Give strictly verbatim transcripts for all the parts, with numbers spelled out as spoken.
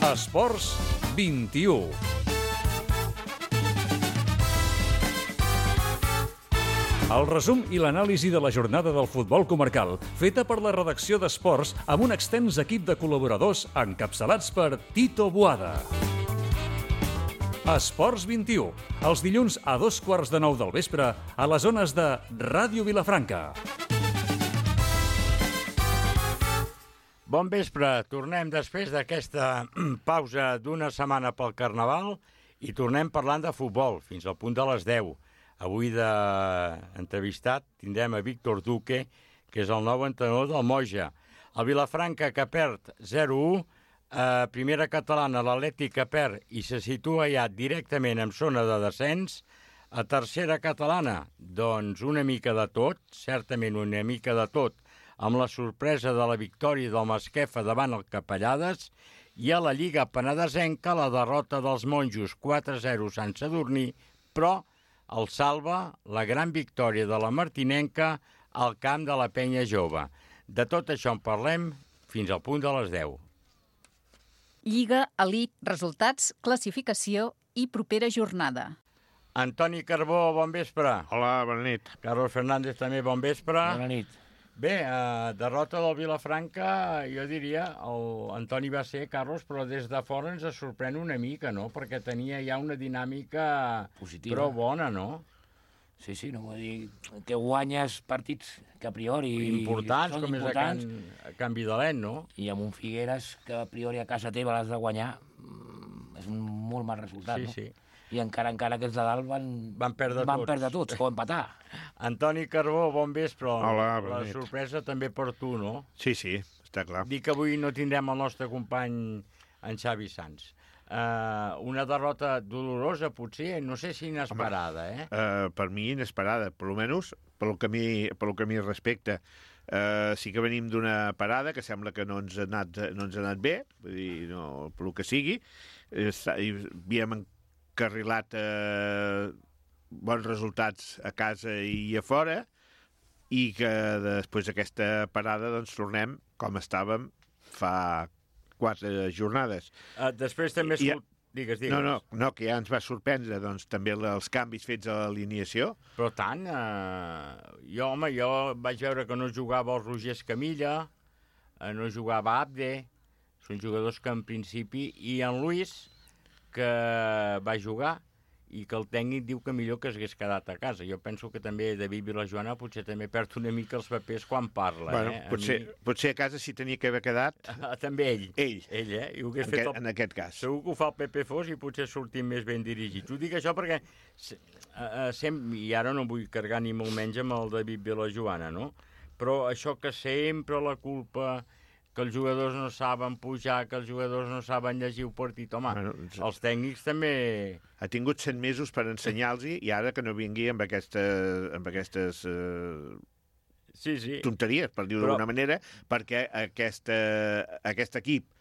Esports vint-i-u. El resum i l'anàlisi de la jornada del futbol comarcal, feta per la redacció d'Esports amb un extens equip de col·laboradors encapçalats per Tito Boada. Esports vint-i-u, els dilluns a dos quarts de nou del vespre a les zones de Ràdio Vilafranca. Bon vespre, tornem després d'aquesta pausa d'una setmana pel Carnaval i tornem parlant de futbol fins al punt de les deu. Avui d'entrevistat tindrem a Víctor Duque, que és el nou entrenador del Moja. El Vilafranca, que perd zero a u, a primera catalana l'Atlètic que perd i se situa ja directament en zona de descens. A tercera catalana, doncs una mica de tot, certament una mica de tot, amb la sorpresa de la victòria del Masquefa davant el Capellades, i a la Lliga Penedesenca la derrota dels monjos quatre a zero a Sant Sadurní, però el salva la gran victòria de la Martinenca al camp de la Penya Jove. De tot això en parlem fins al punt de les deu. Lliga, elit, resultats, classificació i propera jornada. Antoni Carbó, bon vespre. Hola, bona nit. Carlos Fernández també, bon vespre. Bona nit. Bé, eh, derrota del Vilafranca, jo diria, el Antoni va ser, Carlos, però des de fora ens sorprèn una mica, no? Perquè tenia ja una dinàmica positiva, prou bona, no? Sí, sí, no vull dir que guanyes partits que a priori importants, són com importants, és a Can, a Can Vidalet, no? I amb un Figueres que a priori a casa teva l'has de guanyar, és un molt mal resultat, sí, no? Sí, sí. I encara encara que els de dalt van, van perdre van tots. perdre tots, o empatar. Antoni Carbó, bon vespre. Hola, bona La nit. sorpresa també per tu, no? Sí, sí, està clar. Dic que avui no tindrem el nostre company en Xavi Sanz. Uh, una derrota dolorosa, potser, no sé si inesperada, eh? Uh, per mi inesperada, per almenys pel que a mi, pel que a mi respecta. Uh, sí que venim d'una parada que sembla que no ens ha anat, no ens ha anat bé, vull dir, no, pel que sigui. Està, i havíem encarrilat uh, bons resultats a casa i a fora, i que després d'aquesta parada doncs tornem com estàvem fa quatre jornades. Uh, després també... I, escol... Digues, digues. No, no, no, que ja ens va sorprendre doncs, també els canvis fets a l'alineació. Però tant, eh, jo, home, jo vaig veure que no jugava el Roger Escamilla, eh, no jugava Abde, són jugadors que en principi, i en Luis, que va jugar, i que el tècnic diu que millor que s'hagués quedat a casa. Jo penso que també David Vilajoana potser també perd una mica els papers quan parla. Bueno, eh? potser, mi... potser a casa s'hi tenia que haver quedat... Ah, també ell. Ell. Ell, eh? I ho hagués en, fet aquest, el... en aquest cas. Segur que ho fa el Pepe Fos i potser sortim més ben dirigits. Ho dic això perquè, uh, sem... i ara no vull carregar ni molt menys amb el David Vilajoana, no? Però això que sempre la culpa... que els jugadors no saben pujar, que els jugadors no saben llegir el partit. Home, bueno, els tècnics també... Ha tingut cent mesos per ensenyar-los i ara que no vingui amb, aquesta, amb aquestes uh, sí, sí. tonteries, per dir-ho Però... d'alguna manera, perquè aquesta, aquest equip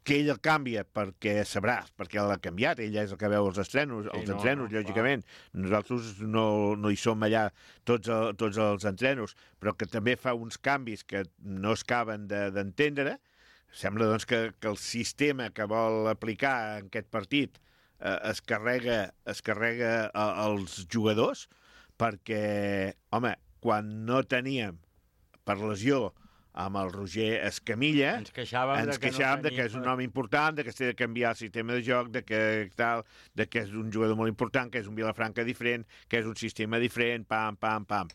que ell el canvia perquè sabrà, perquè l'ha canviat, ell és el que veu els estrenos, els sí, no, entrenos, no, lògicament. Clar. Nosaltres no, no hi som allà tots, el, tots els entrenos, però que també fa uns canvis que no es caben d'entendre. De, Sembla doncs, que, que el sistema que vol aplicar en aquest partit eh, es carrega, es carrega a, als jugadors, perquè, home, quan no teníem per lesió amb el Roger Escamilla, ens queixàvem, ens de, que queixàvem no de que és un home important, de que s'ha de canviar el sistema de joc, de que, tal, de que és un jugador molt important, que és un Vilafranca diferent, que és un sistema diferent, pam, pam, pam.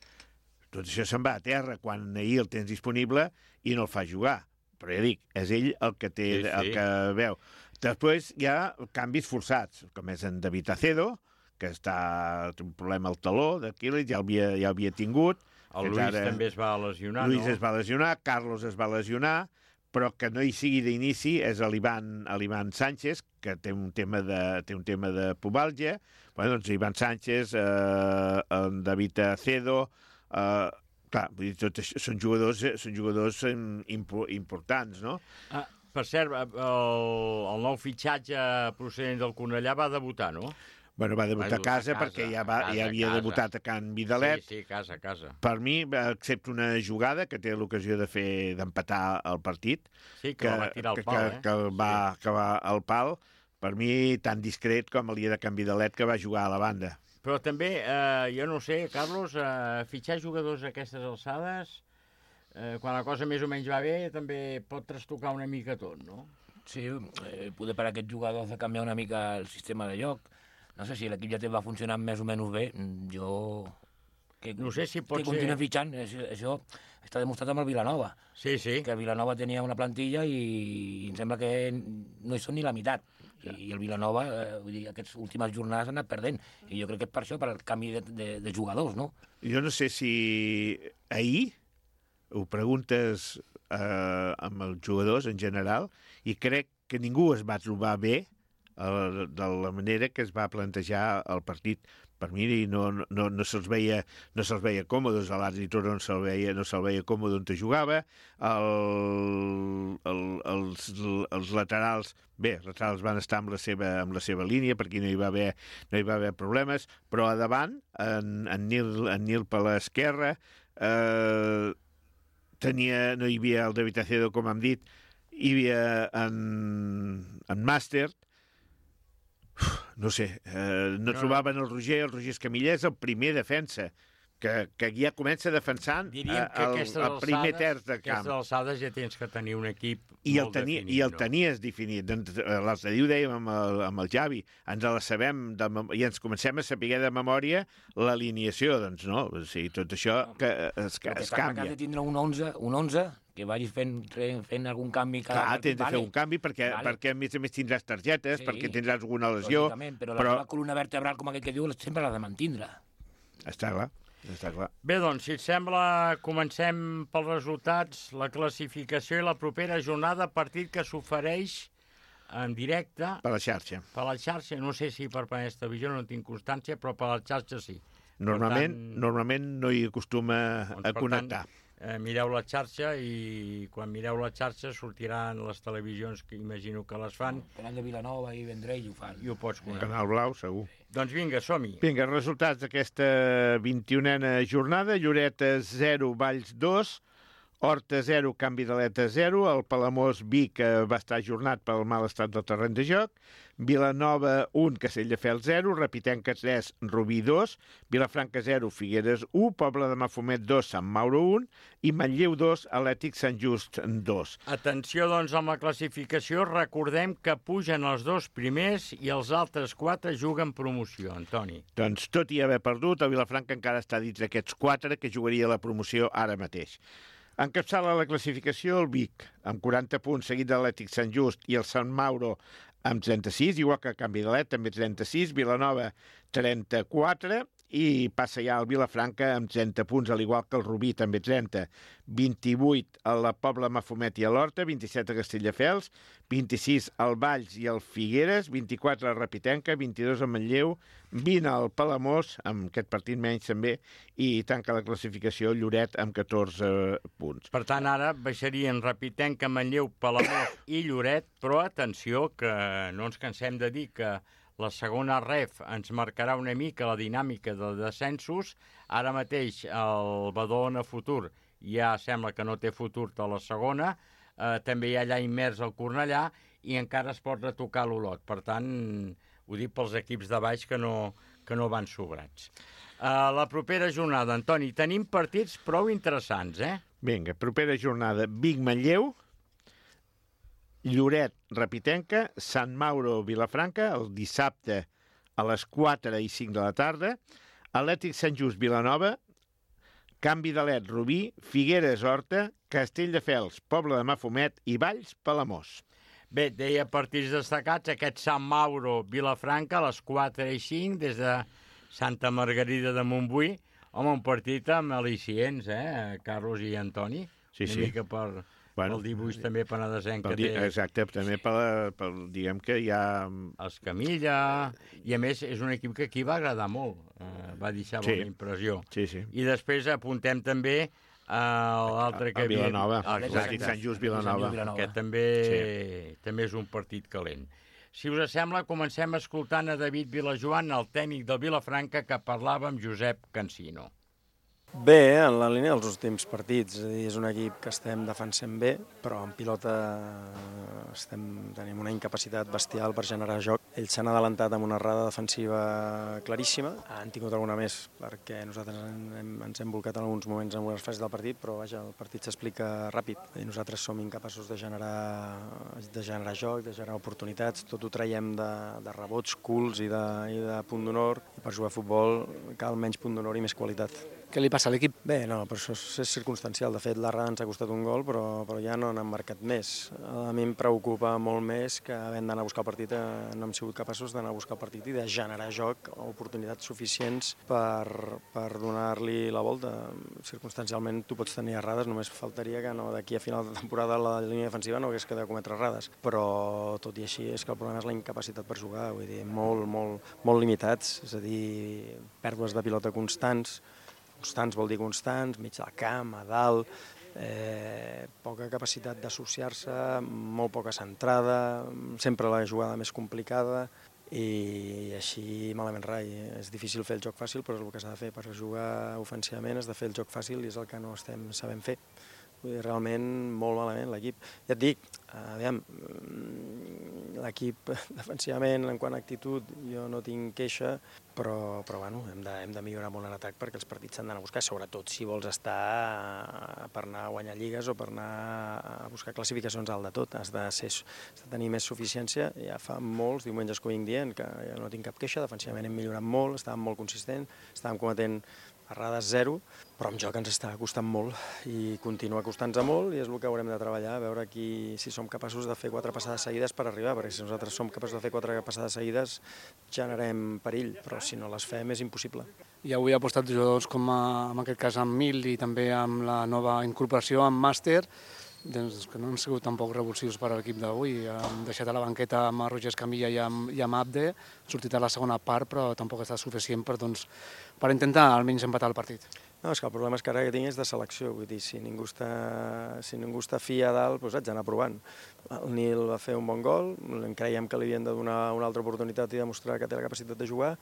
Tot això se'n va a terra quan ahir el tens disponible i no el fa jugar. Però ja dic, és ell el que té, sí, sí. el que veu. Després hi ha canvis forçats, com és en David Acedo, que està té un problema al taló d'Aquiles, ja l'havia ja havia tingut. El Luis ara... també es va lesionar, Luis no? es va lesionar, Carlos es va lesionar, però que no hi sigui d'inici és l'Ivan Sánchez, que té un tema de, té un tema de pubalgia. Bueno, doncs Ivan Sánchez, eh, en David Acedo... Eh, clar, vull dir, tot això, són jugadors, són jugadors impo, importants, no? Ah, per cert, el, el nou fitxatge procedent del Cornellà va debutar, no? Bueno, va debutar Va a casa, a casa, perquè ja, va, a casa, ja havia a casa. debutat a Can Vidalet. Sí, sí, casa, casa. Per mi, excepte una jugada que té l'ocasió de fer d'empatar el partit, Sí, que, que va tirar al que, pal, que, eh? que, va, que va al pal, per mi tan discret com el dia de Can Vidalet que va jugar a la banda. Però també, eh, jo no sé, Carlos, eh, fitxar jugadors a aquestes alçades, eh, quan la cosa més o menys va bé, també pot trastocar una mica tot, no? Sí, eh, poder per aquests jugadors de canviar una mica el sistema de joc. No sé si l'equip ja té va funcionant més o menys bé. Jo... Que, No sé si pot que ser... continua fitxant. Això, això està demostrat amb el Vilanova. Sí, sí. Que el Vilanova tenia una plantilla i em sembla que no hi són ni la meitat. I, i el Vilanova, eh, vull dir, aquestes últimes jornades han anat perdent. I jo crec que és per això, per el canvi de, de, de jugadors, no? Jo no sé si ahir ho preguntes eh, amb els jugadors en general i crec que ningú es va trobar bé eh, de la manera que es va plantejar el partit. Per mi no, no, no se'ls veia, no se'ls veia còmodes, a l'àrbitre no se'l veia, no se'l veia còmode on jugava, el, el, els, els laterals, bé, els laterals van estar amb la seva, amb la seva línia, perquè no hi va haver, no hi va haver problemes, però a davant, en, en, Nil, en Nil per l'esquerra, eh, tenia, no hi havia el David Acedo, com hem dit, hi havia en, en Màster. Uf, no sé, eh, no, no trobaven el Roger, el Roger Escamilla és el primer defensa, que, que ja comença defensant Diríem que el, aquestes el primer alçades, terç de camp. aquestes alçades ja tens que tenir un equip I el, molt tenia, definit. I el no? tenies definit. Doncs, l'altre dia ho dèiem amb el, amb el Javi, ens la sabem de, mem- i ens comencem a saber de memòria l'alineació, doncs no, o sigui, tot això que es, que Però que es està clar que canvia. has de tindre un onze, un onze que vagis fent, fent algun canvi cada Clar, tens de fer vale. un canvi perquè, Vale. perquè a més a més tindràs targetes, Sí. perquè tindràs alguna lesió, Lògicament, però la però teva columna vertebral, com aquell que diu, sempre l'has de mantindre. està clar, està clar. Bé, doncs, si et sembla, comencem pels resultats, la classificació i la propera jornada, partit que s'ofereix en directe Per la xarxa. per la xarxa. No sé si per Penedès Televisió, no en tinc constància, però per la xarxa sí. Normalment, tant, normalment no hi acostuma Doncs, a per connectar. Tant, eh, mireu la xarxa i quan mireu la xarxa sortiran les televisions que imagino que les fan Canal de Vilanova i Vendrell ho fan. i ho pots connectar. Canal Blau, segur. Doncs vinga, som-hi. Vinga, resultats d'aquesta vint-i-unena jornada. Lloret zero, Valls dos, Horta zero, Can Vidaleta zero, el Palamós Vic que va estar ajornat pel mal estat del terreny de joc, Vilanova un, Castelldefels zero, Repitenca tres, Rubí dos, Vilafranca zero, Figueres un, Pobla de Mafumet dos, Sant Mauro un i Manlleu dos, Atlètic Sant Just dos. Atenció, doncs, amb la classificació. Recordem que pugen els dos primers i els altres quatre juguen promoció, Antoni. Doncs tot i haver perdut, el Vilafranca encara està dins d'aquests quatre que jugaria la promoció ara mateix. Encapçala la classificació el Vic, amb quaranta punts, seguit de l'Atlètic Sant Just i el Sant Mauro amb trenta-sis, igual que Can Vidalet, també trenta-sis, Vilanova trenta-quatre i passa ja el Vilafranca amb trenta punts, al igual que el Rubí, també trenta. vint-i-vuit a la Pobla Mafumet i a l'Horta, vint-i-set a Castelldefels, vint-i-sis al Valls i al Figueres, vint-i-quatre a Repitenca, vint-i-dos a Manlleu, vint al Palamós, amb aquest partit menys també, i tanca la classificació Lloret amb catorze punts. Per tant, ara baixarien Repitenca, Manlleu, Palamós i Lloret, però atenció, que no ens cansem de dir que la segona ref ens marcarà una mica la dinàmica de descensos. Ara mateix el Badalona Futur ja sembla que no té futur a la segona, eh, també hi ha allà immers el Cornellà i encara es pot retocar l'Olot. Per tant, ho dic pels equips de baix que no, que no van sobrats. Uh, la propera jornada, Antoni, tenim partits prou interessants, eh? Vinga, propera jornada, Vic-Manlleu, Lloret, Repitenca, Sant Mauro, Vilafranca, el dissabte a les quatre i cinc de la tarda, Atlètic Sant Just, Vilanova, Can Vidalet, Rubí, Figueres, Horta, Castelldefels, Pobla de Mafumet i Valls, Palamós. Bé, deia partits destacats, aquest Sant Mauro, Vilafranca, a les quatre i cinc, des de Santa Margarida de Montbui. Home, un partit amb al·licients, eh, Carlos i Antoni? Sí, Una sí. mica per... Bueno, el dibuix també penedesenc que Pel, té exacte, també per, per, diguem que hi ha... els Camilla, i a més és un equip que aquí va agradar molt, eh, va deixar Sí. bona impressió. Sí, sí. I després apuntem també a l'altre que A Vilanova, Ah, Atlètic exacte. Sant Just, Vilanova. Que també, sí. també és un partit calent. Si us sembla, comencem escoltant a David Vilajoan, el tècnic del Vilafranca, que parlava amb Josep Cansino. Bé, en la línia dels últims partits. És a dir, és un equip que estem defensant bé, però en pilota estem, tenim una incapacitat bestial per generar joc. Ells s'han adelantat amb una errada defensiva claríssima. Han tingut alguna més, perquè nosaltres hem, ens hem volcat en alguns moments en algunes fases del partit, però vaja, el partit s'explica ràpid. I nosaltres som incapaços de generar, de generar joc, de generar oportunitats. Tot ho traiem de, de rebots, culs i de, i de punt d'honor. I per jugar a futbol cal menys punt d'honor i més qualitat. Què li passa a l'equip? Bé, no, però això és circumstancial. De fet, l'errada ens ha costat un gol, però, però ja no n'han marcat més. A mi em preocupa molt més que havent d'anar a buscar el partit, no hem sigut capaços d'anar a buscar el partit i de generar joc o oportunitats suficients per, per donar-li la volta. Circumstancialment tu pots tenir errades, només faltaria que no, d'aquí a final de temporada la línia defensiva no hagués que de cometre errades. Però tot i així és que el problema és la incapacitat per jugar, vull dir, molt, molt, molt limitats, és a dir, pèrdues de pilota constants. Constants vol dir constants, mig del camp, a dalt, eh, poca capacitat d'associar-se, molt poca centrada, sempre la jugada més complicada i així malament rai. És difícil fer el joc fàcil, però és el que s'ha de fer. Per jugar ofensivament has de fer el joc fàcil i és el que no estem sabent fer. Vull dir, realment molt malament l'equip. Ja et dic, aviam, l'equip defensivament, en quant a actitud, jo no tinc queixa, però, però bueno, hem de, hem de millorar molt en atac perquè els partits s'han d'anar a buscar, sobretot si vols estar per anar a guanyar lligues o per anar a buscar classificacions alt de tot. Has de, ser, has de tenir més suficiència. Ja fa molts diumenges que ho vinc dient, que jo no tinc cap queixa, defensivament hem millorat molt, estàvem molt consistents, estàvem cometent errades zero, però amb joc ens està costant molt i continua costant-nos molt i és el que haurem de treballar, a veure aquí, si som capaços de fer quatre passades seguides per arribar, perquè si nosaltres som capaços de fer quatre passades seguides generem perill, però si no les fem és impossible. I avui ha apostat jugadors com a, en aquest cas amb Mil i també amb la nova incorporació amb Màster, doncs que no han sigut tampoc revulsius per a l'equip d'avui. Hem deixat a la banqueta amb Roger Escamilla i amb, i amb Abde, ha sortit a la segona part, però tampoc ha estat suficient per, doncs, per intentar almenys empatar el partit. No, és que el problema és que ara que tinc és de selecció, vull dir, si ningú està, si ningú està fi a dalt, doncs haig d'anar provant. El Nil va fer un bon gol, creiem que li havien de donar una altra oportunitat i demostrar que té la capacitat de jugar,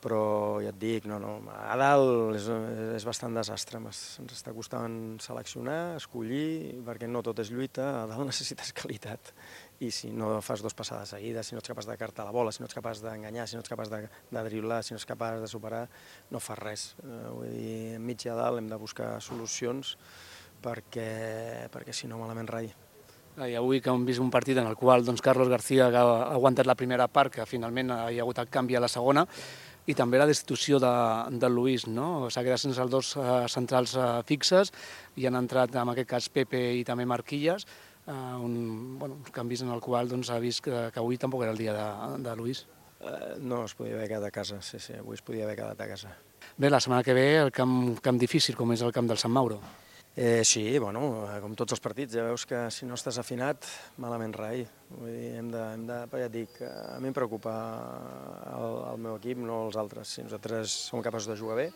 però ja et dic, no, no, a dalt és, és bastant desastre, ens està costant seleccionar, escollir, perquè no tot és lluita, a dalt necessites qualitat. I si no fas dos passades seguides, si no ets capaç de cartar la bola, si no ets capaç d'enganyar, si no ets capaç de, de driblar, si no ets capaç de superar, no fas res. Uh, vull dir, enmig i a dalt hem de buscar solucions perquè, perquè si no malament rai. I avui que hem vist un partit en el qual doncs, Carlos García ha aguantat la primera part, que finalment hi ha hagut el canvi a la segona, i també la destitució de, de Luis, no? S'ha quedat sense els dos uh, centrals uh, fixes i han entrat en aquest cas Pepe i també Marquilles, Uh, un, bueno, uns canvis en el qual doncs, ha vist que, que avui tampoc era el dia de, de Luis. Uh, no, es podia haver quedat a casa, sí, sí, avui es podia haver quedat a casa. Bé, la setmana que ve el camp, camp difícil, com és el camp del Sant Mauro. Eh, sí, bueno, com tots els partits, ja veus que si no estàs afinat, malament rai. Vull dir, hem de, hem de, ja et dic, a mi em preocupa el, el meu equip, no els altres. Si nosaltres som capaços de jugar bé,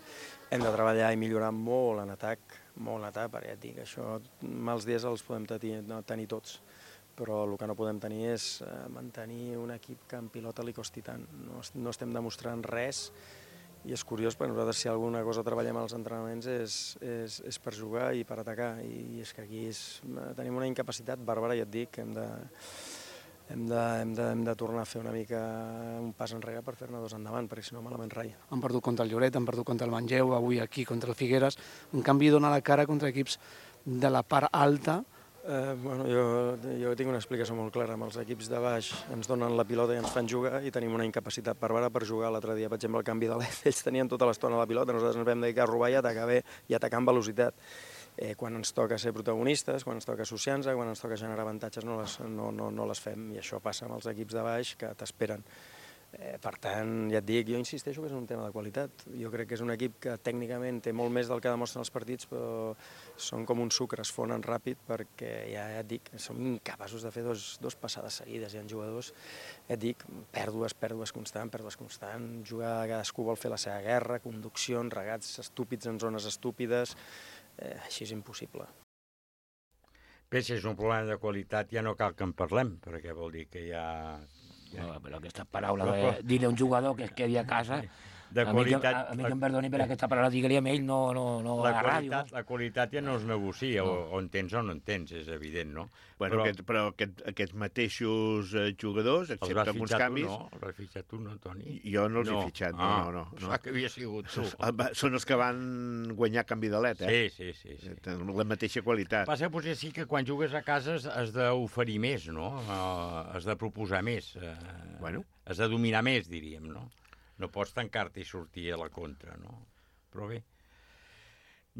hem de treballar i millorar molt en atac, molt en atac, perquè ja et dic, això mals dies els podem tenir, no, tenir tots, però el que no podem tenir és mantenir un equip que en pilota li costi tant. No, no estem demostrant res. I és curiós, perquè nosaltres si alguna cosa treballem als entrenaments és, és, és per jugar i per atacar, i és que aquí és, tenim una incapacitat bàrbara, ja et dic, que hem de, hem, de, hem, de, hem de tornar a fer una mica un pas enrere per fer-ne dos endavant, perquè si no malament rai. Han perdut contra el Lloret, han perdut contra el Manlleu, avui aquí contra el Figueres, en canvi dona la cara contra equips de la part alta. Eh, bueno, jo, jo tinc una explicació molt clara. Amb els equips de baix ens donen la pilota i ens fan jugar i tenim una incapacitat bàrbara per jugar. L'altre dia, per exemple, el canvi de l'E F, ells tenien tota l'estona la pilota, nosaltres ens vam dedicar a robar i atacar bé i atacar amb velocitat. Eh, quan ens toca ser protagonistes, quan ens toca associar-nos, quan ens toca generar avantatges, no les, no, no, no les fem, i això passa amb els equips de baix que t'esperen. Eh, per tant, ja et dic, jo insisteixo que és un tema de qualitat. Jo crec que és un equip que tècnicament té molt més del que demostren els partits, però són com un sucre, es fonen ràpid perquè ja, ja et dic, som incapaços de fer dos, dos passades seguides. Hi ha jugadors, ja et dic, pèrdues, pèrdues constant, pèrdues constant, jugar, cadascú vol fer la seva guerra, conduccions, regats estúpids en zones estúpides, eh, així és impossible. Bé, si és un problema de qualitat ja no cal que en parlem, perquè vol dir que ja... No, però aquesta paraula de dir-li a un jugador que es quedi a casa... De a qualitat... Mi que, a mi que em perdoni per aquesta paraula, digue-li a ell, no, no, no la a la ràdio. Qualitat, la qualitat ja no es negocia, no. o, o en tens o no en tens, és evident, no? Bueno, però aquest, però aquest, aquests mateixos eh, jugadors, excepte alguns canvis... Els vas fitxar tu, no? Els vas fitxar tu, no, Toni? Jo no els no. he fitxat, no, ah, no, no. no. que havia sigut tu. Són els que van guanyar canvi d'aleta, eh? Sí, sí, sí. sí. Tenen la mateixa qualitat. Passa potser sí que quan jugues a casa has d'oferir més, no? Uh, has de proposar més. Uh, bueno. Has de dominar més, diríem, no? No pots tancar-te i sortir a la contra, no? Però bé,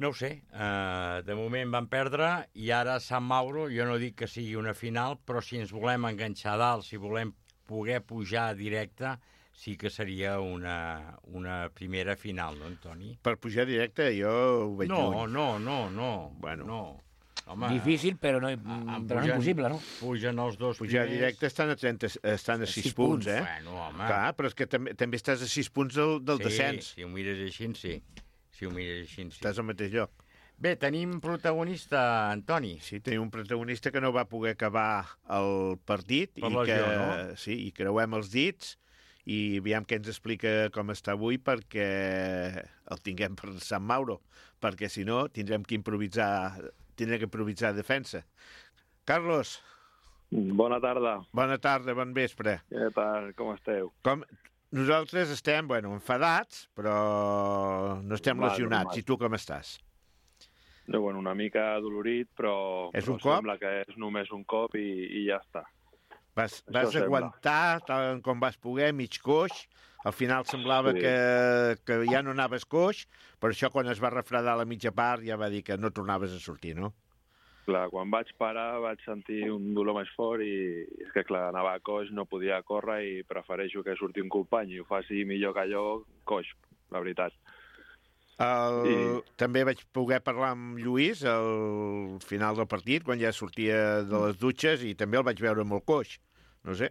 no ho sé. Uh, de moment van perdre i ara Sant Mauro, jo no dic que sigui una final, però si ens volem enganxar dalt, si volem poder pujar directe, sí que seria una, una primera final, no, Antoni? Per pujar directe jo ho veig no, lluny. No, no, no, bueno. no. Home, difícil, però no, però però no impossible, no? Pugen els dos pujar primers... directe estan a, trenta, estan a sis, sis punts, eh? Bueno, home. Clar, però és que també, també estàs a sis punts del, del sí, descens. Si ho mires així, sí. Si ho mires així, sí. Estàs al mateix lloc. Bé, tenim protagonista, Antoni. Sí, tenim un protagonista que no va poder acabar el partit. Per i lesió, que, no? Sí, i creuem els dits i aviam què ens explica com està avui perquè el tinguem per Sant Mauro, perquè si no tindrem que improvisar tindrem que improvisar defensa. Carlos. Bona tarda. Bona tarda, bon vespre. Què tal, com esteu? Com... Nosaltres estem, bueno, enfadats, però no estem Mal, lesionats. normal. I tu com estàs? No, bueno, una mica adolorit, però, és però un cop? sembla que és només un cop i, i ja està. Vas, vas aguantar tal com vas poder, mig coix. Al final semblava sí. que, que ja no anaves coix, però això quan es va refredar la mitja part ja va dir que no tornaves a sortir, no? Clar, quan vaig parar vaig sentir un dolor més fort i és que, clar, anava a coix, no podia córrer i prefereixo que surti un company i ho faci millor que allò, coix, la veritat. El... I... També vaig poder parlar amb Lluís al final del partit, quan ja sortia de les dutxes, i també el vaig veure molt coix. No sé.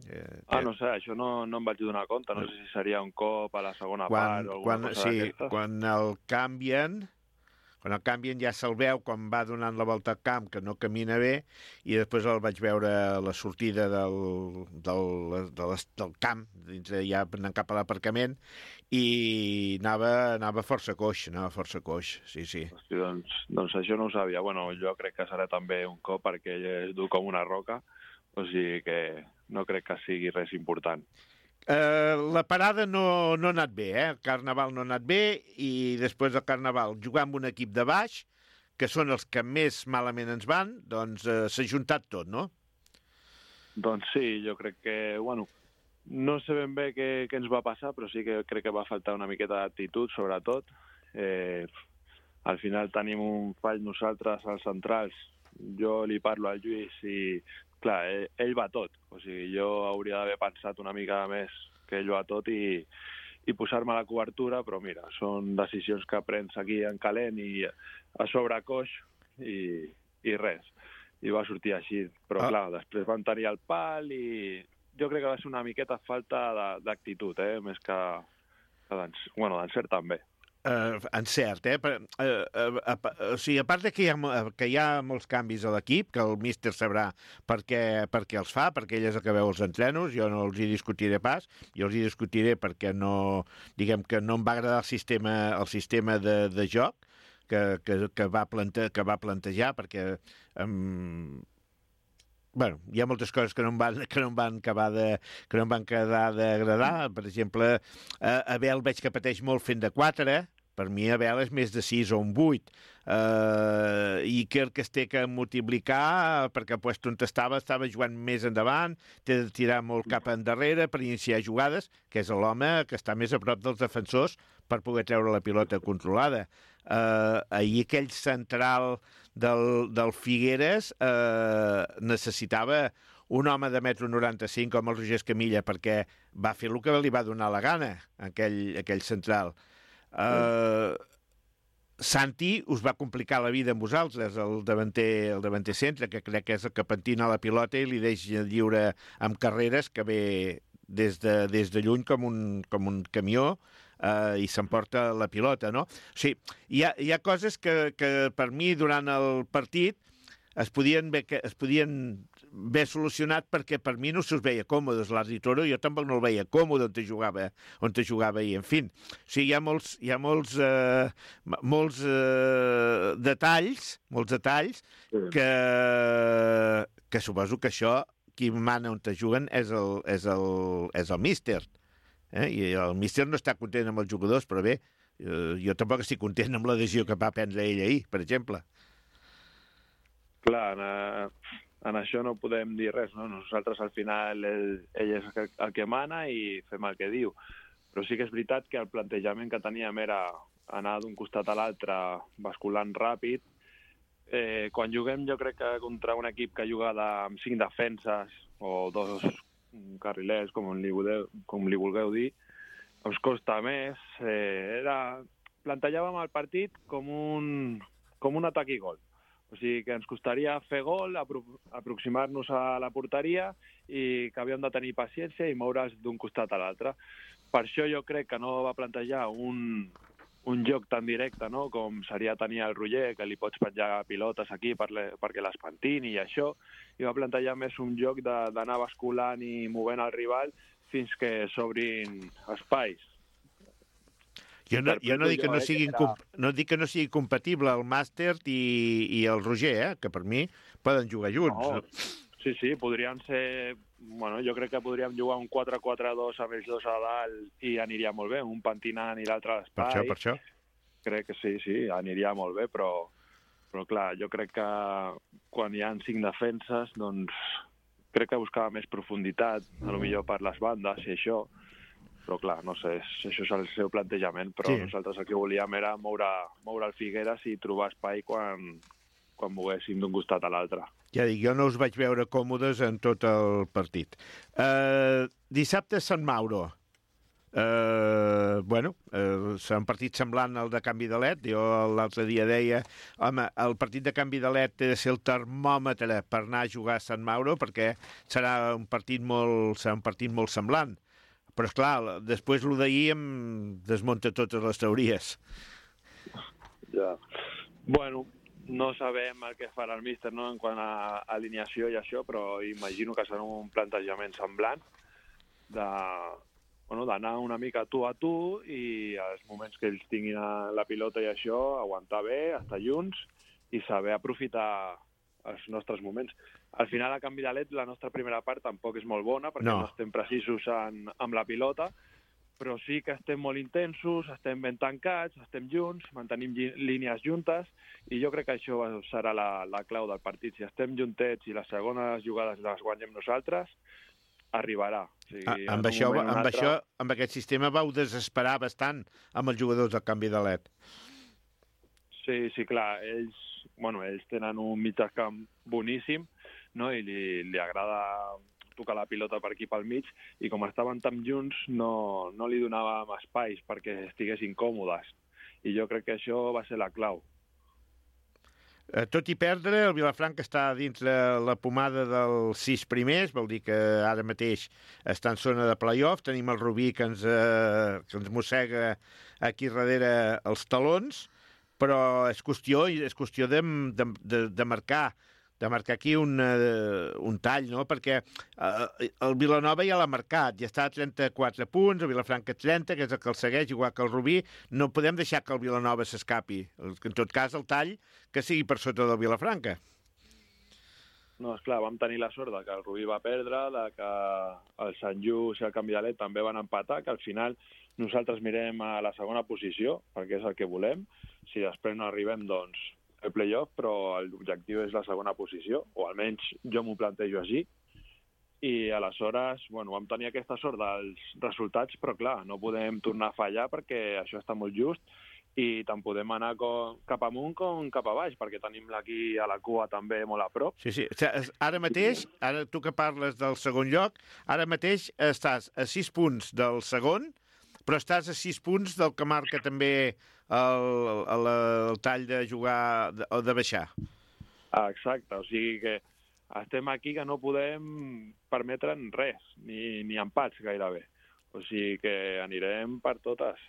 Eh, ah, no sé, això no, no em vaig donar compte. No sé si seria un cop a la segona quan, part o alguna quan, cosa sí, d'aquestes. Quan el canvien, quan el canvien ja se'l veu quan va donant la volta al camp, que no camina bé, i després el vaig veure a la sortida del, del, del, del camp, dins, ja anant cap a l'aparcament, i anava, anava força coix, anava força coix, sí, sí. Hosti, doncs, doncs això no ho sabia. Bueno, jo crec que serà també un cop perquè ell és dur com una roca, o sigui que no crec que sigui res important. Uh, la parada no, no ha anat bé, eh? El Carnaval no ha anat bé i després del Carnaval jugar amb un equip de baix, que són els que més malament ens van, doncs uh, s'ha juntat tot, no? Doncs sí, jo crec que, bueno, no sé ben bé què, què ens va passar, però sí que crec que va faltar una miqueta d'actitud, sobretot. Eh, al final tenim un fall nosaltres, als centrals. Jo li parlo al Lluís i clar, ell, ell va tot. O sigui, jo hauria d'haver pensat una mica més que ell va tot i, i posar-me a la cobertura, però mira, són decisions que prens aquí en calent i a sobre coix i, i res. I va sortir així. Però ah. clar, després van tenir el pal i jo crec que va ser una miqueta falta d'actitud, eh? Més que, que d'encert, bueno, d'encert també. Uh, encert, eh? Uh, uh, uh, uh, o sigui, a part de que hi ha, que hi ha molts canvis a l'equip, que el míster sabrà per què, per què els fa, perquè ell és el que veu els entrenos, jo no els hi discutiré pas, jo els hi discutiré perquè no, diguem que no em va agradar el sistema, el sistema de, de joc que, que, que, va plante, que va plantejar, perquè um, bueno, hi ha moltes coses que no em van, que no em van acabar de, que no em van quedar d'agradar. Per exemple, eh, Abel veig que pateix molt fent de quatre, per mi Abel és més de sis o un vuit. Uh, i Iker que es té que multiplicar perquè el puesto on estava, estava jugant més endavant, té de tirar molt cap endarrere per iniciar jugades, que és l'home que està més a prop dels defensors per poder treure la pilota controlada. Uh, ahir aquell central del, del Figueres uh, necessitava un home de metro noranta-cinc com el Roger Escamilla perquè va fer el que li va donar la gana, aquell, aquell central. Uh, Santi us va complicar la vida amb vosaltres, el davanter, el davanter centre, que crec que és el que pentina la pilota i li deixa lliure amb carreres que ve des de, des de lluny com un, com un camió uh, i s'emporta la pilota, no? O sigui, hi ha, hi ha coses que, que per mi durant el partit es podien, es podien ben solucionat perquè per mi no se'ls veia còmodes. L'Adri Toro jo tampoc no el veia còmode on te jugava, on te jugava ahir. En fi, o sigui, hi ha molts, hi ha molts, eh, molts eh, detalls, molts detalls que, que suposo que això, qui mana on te juguen és el, és el, és el míster. Eh? I el míster no està content amb els jugadors, però bé, eh, jo tampoc estic content amb la decisió que va prendre ell ahir, per exemple. Clar, en, en això no podem dir res, no? Nosaltres al final ell, ell és el que mana i fem el que diu. Però sí que és veritat que el plantejament que teníem era anar d'un costat a l'altre basculant ràpid. Eh, quan juguem jo crec que contra un equip que juga de, amb cinc defenses o dos carrilers, com li vulgueu, com li vulgueu dir, ens costa més. Eh, era... Plantejàvem el partit com un, com un atac i gol. O sigui que ens costaria fer gol, apro aproximar-nos a la porteria i que havíem de tenir paciència i moure's d'un costat a l'altre. Per això jo crec que no va plantejar un, un joc tan directe, no?, com seria tenir el Roger, que li pots penjar pilotes aquí per le, perquè les pentini i això, i va plantejar més un joc d'anar basculant i movent el rival fins que s'obrin espais. Jo no, jo no, dic que no, sigui, no dic que no sigui compatible el Màster i, i el Roger, eh? Que per mi poden jugar junts. No. Sí, sí, podrien ser... Bueno, jo crec que podríem jugar un quatre quatre dos amb ells dos a dalt i aniria molt bé, un pentinant i l'altre a l'espai. Per això, per això. Crec que sí, sí, aniria molt bé, però, però clar, jo crec que quan hi ha cinc defenses, doncs crec que buscava més profunditat, a lo millor per les bandes i això, però clar, no sé, això és el seu plantejament, però sí. Nosaltres el que volíem era moure, moure el Figueres i trobar espai quan, quan moguéssim d'un costat a l'altre. Ja dic, jo no us vaig veure còmodes en tot el partit. Uh, dissabte Sant Mauro. Uh, bueno, uh, serà un partit semblant al de canvi de L E D. Jo l'altre dia deia, home, el partit de canvi de L E D té de ser el termòmetre per anar a jugar a Sant Mauro, perquè serà un partit molt, serà un partit molt semblant. Però, esclar, després el d'ahir em desmunta totes les teories. Ja. Bueno, no sabem el que farà el míster, no?, en quant a alineació i això, però imagino que serà un plantejament semblant de, bueno, d'anar una mica tu a tu i als moments que ells tinguin la pilota i això, aguantar bé, estar junts i saber aprofitar els nostres moments. Al final, a canvi de L E D, la nostra primera part tampoc és molt bona, perquè no, no estem precisos en, amb la pilota, però sí que estem molt intensos, estem ben tancats, estem junts, mantenim línies juntes, i jo crec que això serà la, la clau del partit. Si estem juntets i les segones jugades les guanyem nosaltres, arribarà. O sigui, ah, amb, això, amb, altre... això, amb aquest sistema vau desesperar bastant amb els jugadors del canvi de L E D. Sí, sí, clar, ells, bueno, ells tenen un mitjacamp boníssim, no?, i li, li agrada tocar la pilota per aquí pel mig, i com estaven tan junts no, no li donàvem espais perquè estiguessin còmodes. I jo crec que això va ser la clau. Eh, tot i perdre, el Vilafranca està dins la, la pomada dels sis primers, vol dir que ara mateix està en zona de play-off, tenim el Rubí que ens, eh, que ens mossega aquí darrere els talons, però és qüestió, és qüestió de, de, de, de marcar de marcar aquí un, uh, un tall, no?, perquè uh, el Vilanova ja l'ha marcat, ja està a trenta-quatre punts, el Vilafranca trenta, que és el que el segueix, igual que el Rubí. No podem deixar que el Vilanova s'escapi. En tot cas, el tall que sigui per sota del Vilafranca. No, esclar, vam tenir la sort de que el Rubí va perdre, de que el Sant Just i el Canvi de L E D també van empatar, que al final nosaltres mirem a la segona posició, perquè és el que volem. Si després no arribem, doncs el play-off, però l'objectiu és la segona posició, o almenys jo m'ho plantejo així, i aleshores, bueno, vam tenir aquesta sort dels resultats, però clar, no podem tornar a fallar perquè això està molt just, i tant podem anar com, cap amunt com cap a baix, perquè tenim aquí a la cua també molt a prop. Sí, sí. Ara mateix, ara tu que parles del segon lloc, ara mateix estàs a sis punts del segon, però estàs a sis punts del que marca també el, el, el tall de jugar o de, de baixar. Ah, exacte, o sigui que estem aquí que no podem permetre'n res, ni, ni empats gairebé. O sigui que anirem per totes.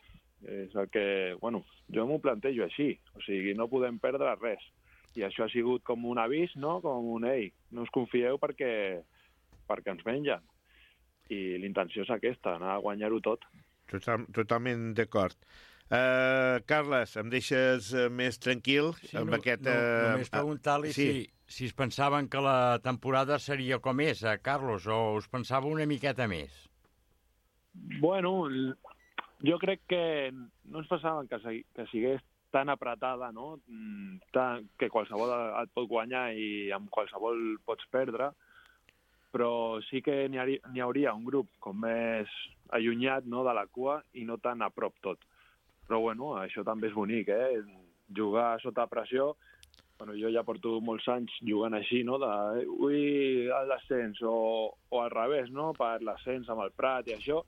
És el que, bueno, jo m'ho plantejo així, o sigui, no podem perdre res. I això ha sigut com un avís, no? Com un, ei, no us confieu perquè, perquè ens mengen. I l'intenció és aquesta, anar a guanyar-ho tot. Total, totalment d'acord. Uh, Carles, em deixes uh, més tranquil Sí, amb no, aquest... no, Uh, només preguntar-li sí. si, si es pensaven que la temporada seria com és, eh, Carlos, o us pensava una miqueta més? Bueno, jo crec que no ens passaven que, segui, que sigués tan apretada, no? Tan, que qualsevol et pot guanyar i amb qualsevol pots perdre, però sí que n'hi ha, n'hi hauria un grup com més allunyat, no, de la cua i no tan a prop tot. Però bueno, això també és bonic, eh? Jugar sota pressió. Bueno, jo ja porto molts anys jugant així, no? De, ui, l'ascens, o, o al revés, no? Per l'ascens amb el Prat i això.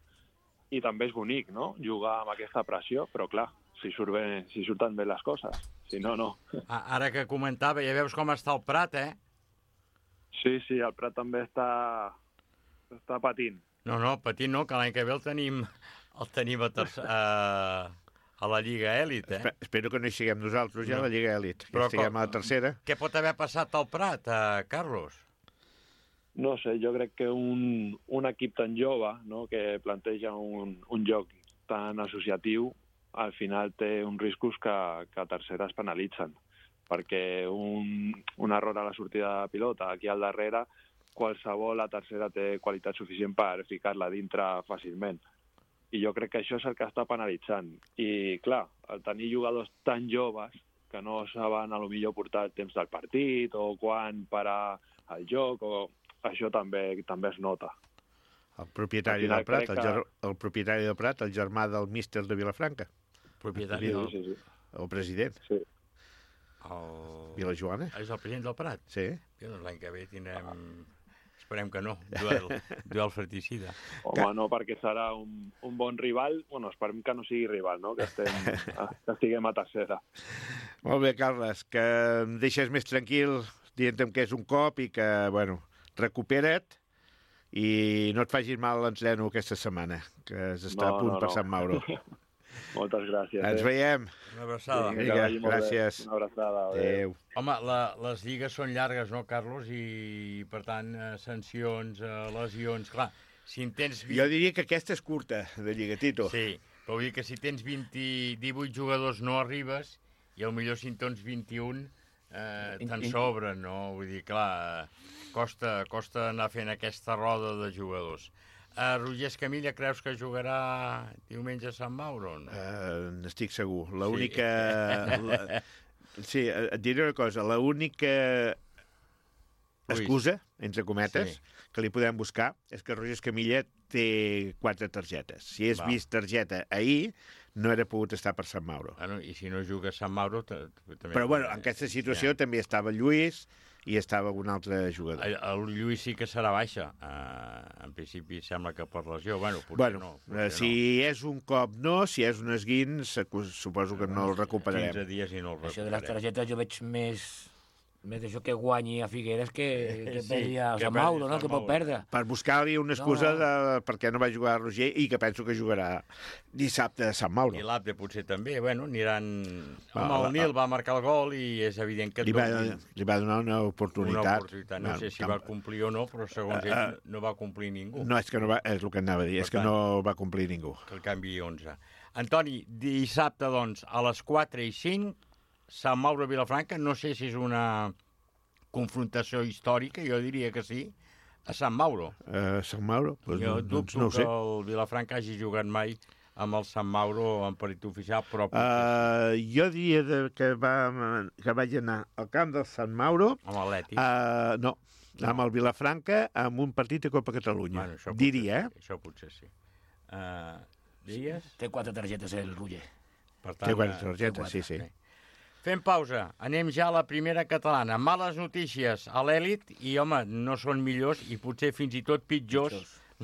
I també és bonic, no? Jugar amb aquesta pressió, però clar, si, surt bé, si surten bé les coses. Si no, no. Ara que comentava, ja veus com està el Prat, eh? Sí, sí, el Prat també està, està patint. No, no, patint no, que l'any que ve el tenim, el tenim a, tercer, a, a la Lliga Èlit, eh? Espero que no hi siguem nosaltres, ja, no. a la Lliga Èlit. Que Però estiguem com, a la tercera. Què pot haver passat al Prat, eh, Carlos? No sé, jo crec que un, un equip tan jove, no?, que planteja un, un joc tan associatiu, al final té uns riscos que, que a tercera es penalitzen. Perquè un, un error a la sortida de pilota aquí al darrere, qualsevol a tercera té qualitat suficient per ficar-la dintre fàcilment. I jo crec que això és el que està penalitzant. I, clar, el tenir jugadors tan joves que no saben a lo millor portar el temps del partit o quan parar el joc, o això també també es nota. El propietari del Prat, el, ger... el propietari del Prat, el germà del míster de Vilafranca. Propietari del... Sí, sí, sí. El president. Sí. El... Vilajoana. És el president del Prat? Sí. Doncs l'any que ve tindrem... Esperem que no, duel, duel fratricida. Home, no, perquè serà un, un bon rival. Bueno, esperem que no sigui rival, no? Que, estem, que estiguem a tercera. Molt bé, Carles, que em deixes més tranquil dient-me que és un cop i que, bueno, recupera't i no et facis mal l'entreno aquesta setmana, que està no, a punt no, per no. Sant Mauro. Moltes gràcies. Ens eh? veiem. Una abraçada. Vinga, Vinga, que vagi molt gràcies. bé. Una abraçada. Adéu. Home, la, les lligues són llargues, no, Carlos? I, per tant, eh, sancions, eh, lesions... Clar, si en tens... vint... Jo diria que aquesta és curta, de Lliga, Tito. Sí, però vull dir que si tens vint, divuit jugadors no arribes i potser si en tens vint-i-un eh, te'n sobren, no? Vull dir, clar, costa, costa anar fent aquesta roda de jugadors. Uh, Roger Escamilla, creus que jugarà diumenge a Sant Mauro? No? Uh, N'estic segur. L'única... Sí. La... sí, et diré una cosa. L'única excusa, entre cometes, sí, que li podem buscar és que Roger Escamilla té quatre targetes. Si és vist targeta ahir, no era pogut estar per Sant Mauro. Ah, no, i si no juga a Sant Mauro... També... Però, bueno, en aquesta situació ja. també estava Lluís i estava un altre jugador. El, el Lluís sí que serà baixa. Uh, en principi sembla que per lesió. Bueno, potser bueno, no. Potser si no. és un cop no, si és un esguins, suposo que no el recuperarem. quinze dies i no el recuperarem. Això de les targetes jo veig més... més d'això que guanyi a Figueres que, que sí, perdi a Sant Mauro, no? Que pot perdre. Per buscar-li una excusa no. de perquè no va jugar a Roger i que penso que jugarà dissabte a Sant Mauro. I l'Abde potser també, bueno, aniran... Va, Home, el Nil va marcar el gol i és evident que... Li va, li va donar una oportunitat. Una oportunitat. No, no sé si va complir o no, però segons uh, ell no va complir ningú. No, és que no va, és el que anava a dir, per és tant, que no va complir ningú. Que el canvi onze. Antoni, dissabte, doncs, a les quatre i cinc, Sant Mauro Vilafranca, no sé si és una confrontació històrica, jo diria que sí, a Sant Mauro. A uh, Sant Mauro? Pues jo no, dubto no ho sé. que el Vilafranca hagi jugat mai amb el Sant Mauro en parit oficial, però... Uh, jo diria de, que, va, que vaig anar al camp del Sant Mauro... Amb l'Atlètic? Uh, no, no, amb el Vilafranca, amb un partit de Copa Catalunya. Bueno, diria, eh? Això potser sí. Uh, diries? Té quatre targetes, el Roger. Per tant, té quatre targetes, quatre, sí, sí. sí. Fem pausa. Anem ja a la primera catalana. Males notícies a l'èlit i, home, no són millors i potser fins i tot pitjors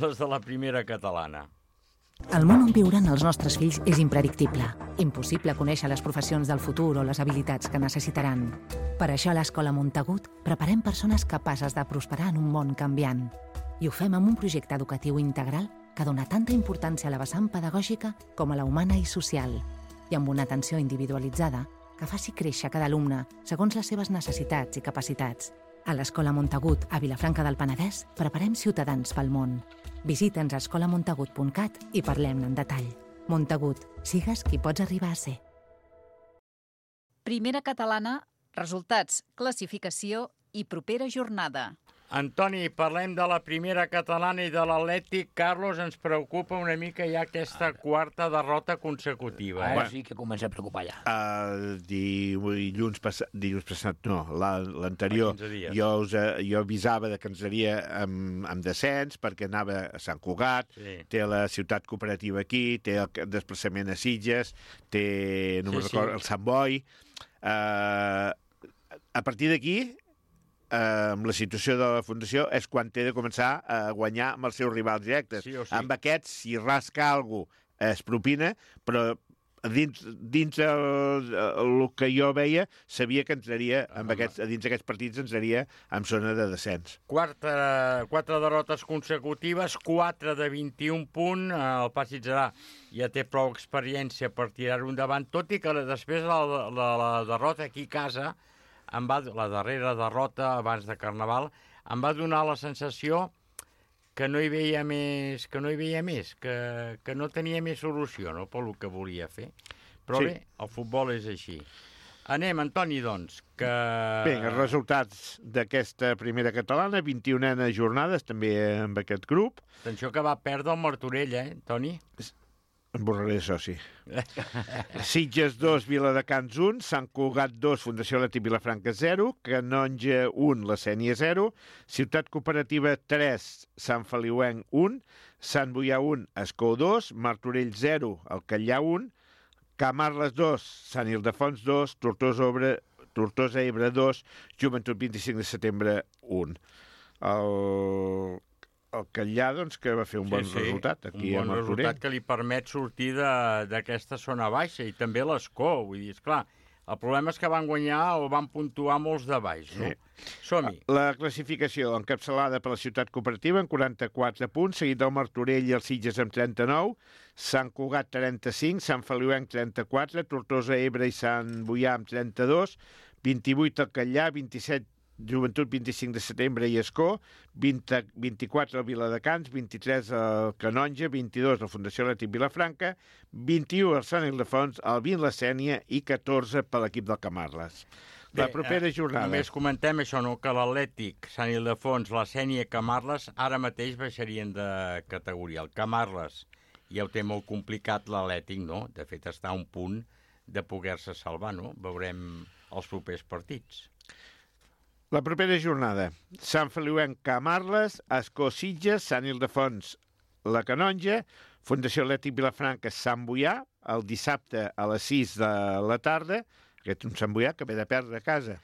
les de la primera catalana. El món on viuran els nostres fills és impredictible. Impossible conèixer les professions del futur o les habilitats que necessitaran. Per això a l'Escola Montagut preparem persones capaces de prosperar en un món canviant. I ho fem amb un projecte educatiu integral que dona tanta importància a la vessant pedagògica com a la humana i social. I amb una atenció individualitzada que faci créixer cada alumne segons les seves necessitats i capacitats. A l'Escola Montagut, a Vilafranca del Penedès, preparem ciutadans pel món. Visita'ns a escola montagut punt cat i parlem-ne en detall. Montagut, sigues qui pots arribar a ser. Primera catalana, resultats, classificació i propera jornada. Antoni, parlem de la primera catalana i de l'Atlètic. Carlos, ens preocupa una mica ja aquesta quarta derrota consecutiva. Ara Eh? sí que comença a preocupar ja. Uh, dilluns, passat, dilluns passat, no, la- l'anterior, Fa quinze dies. jo, us, eh, jo avisava de que ens seria amb, amb descens, perquè anava a Sant Cugat, Sí. té la ciutat cooperativa aquí, té el desplaçament a Sitges, té, no Sí, me'n sí. recordo, el Sant Boi. Uh, a partir d'aquí, Uh, amb la situació de la Fundació, és quan té de començar a guanyar amb els seus rivals directes. Sí o sí. Amb aquests, si rasca alguna cosa, es propina, però dins, dins el, el que jo veia, sabia que entraria, amb aquests, dins d'aquests partits, entraria en zona de descens. Quarta, quatre derrotes consecutives, quatre de vint-i-un punts. El Pasitgerà ja té prou experiència per tirar-ho endavant, tot i que després de la, la, la derrota aquí a casa, em va, la darrera derrota abans de Carnaval, em va donar la sensació que no hi veia més, que no hi veia més, que, que no tenia més solució, no?, pel que volia fer. Però Sí. bé, el futbol és així. Anem, Antoni, doncs, que... Bé, els resultats d'aquesta primera catalana, vint-i-una jornades, també amb aquest grup. Atenció que va perdre el Martorell, eh, Toni? Em borraré de soci. Sitges dos, Viladecans un, Sant Cugat dos, Fundació Atlètic Vilafranca zero, Canonja un, La Sénia zero, Ciutat Cooperativa tres, Sant Feliuenc un, Sant Boià un, Escó dos, Martorell zero, Alcallà un, Camarles dos, Sant Ildefons dos, Tortosa, Obre, Tortosa Ebre dos, Joventut vint-i-cinc de setembre un. El... El Catllà, doncs, que va fer un bon sí, sí, resultat aquí un a bon Martorell. resultat que li permet sortir de- d'aquesta zona baixa, i també l'Escó, vull dir, esclar, el problema és que van guanyar o van puntuar molts de baix, no? Sí. Som-hi. La classificació encapçalada per la Ciutat Cooperativa amb quaranta-quatre punts, seguit del Martorell i els Sitges amb trenta-nou, Sant Cugat trenta-cinc, Sant Feliuenc trenta-quatre, Tortosa, Ebre i Sant Boià amb trenta-dos, vint-i-vuit el Catllà, vint-i-set Joventut vint-i-cinc de setembre i Escó, vint, vint-i-quatre el Viladecans, vint-i-tres el Canonja, vint-i-dos la Fundació Atlètic Vilafranca, vint-i-u el Sant Ildefons, el vint la Sénia i catorze per l'equip del Camarles. La Bé, propera eh, jornada. Només comentem això, no?, que l'Atlètic, Sant Ildefons, la Sénia i Camarles ara mateix baixarien de categoria. El Camarles ja ho té molt complicat, l'Atlètic, no? De fet, està a un punt de poder-se salvar, no? Veurem els propers partits. La propera jornada. Sant Feliuenc, Camarles, Escó, Sitges, Sant Ildefons, la Canonja, Fundació Atlètic Vilafranca, Sant Boià, el dissabte a les sis de la tarda, aquest un Sant Boià que ve de perdre a casa.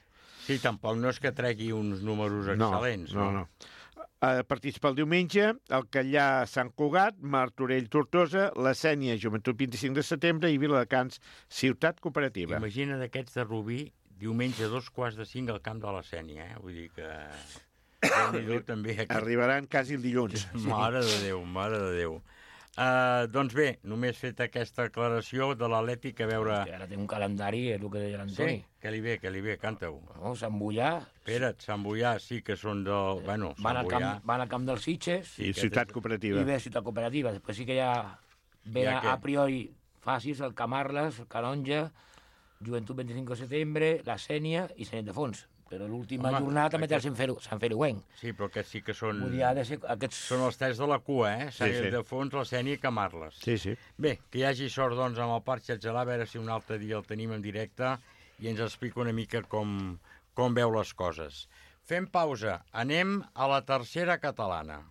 Sí, tampoc no és que tregui uns números excel·lents. No, no, no. Uh, partits pel diumenge, el Catllà, Sant Cugat, Martorell, Tortosa, la Sénia, Joventut vint-i-cinc de setembre i Viladecans, Ciutat Cooperativa. Imagina d'aquests de Rubí, diumenge a dos quarts de cinc al camp de la Sénia, eh? Vull dir que... Déu-n'hi-do també aquí. Arribaran quasi el dilluns. Mare de Déu, mare de Déu. Uh, doncs bé, només fet aquesta aclaració de l'Atlètic, a veure... Que ara té un calendari, és el que deia l'Antoni. Sí, que li ve, que li ve, canta-ho. No, Sant Boià... Espera't, Sant Boià sí que són del... Bueno, van, Sant al Boià... camp, van al camp dels Sitges I Ciutat Cooperativa. i ve Ciutat Cooperativa. Després sí que ja ve Ja a, què? a priori fàcils el Camarles, el Canonja, Joventut vint-i-cinc de setembre, la Sénia i Sant Ildefons. Però l'última Home, jornada també té el aquest- Sant Felu- Sant Feliuenc. Sí, però aquests sí que són... Vull dir, ha de ser aquests... Són els tres de la cua, eh? Sant Sí, sí. Ildefons, la Sénia i Camarles. Sí, sí. Bé, que hi hagi sort, doncs, amb el Parc Xatgelà, a veure si un altre dia el tenim en directe i ens explica una mica com, com veu les coses. Fem pausa. Anem a la tercera catalana.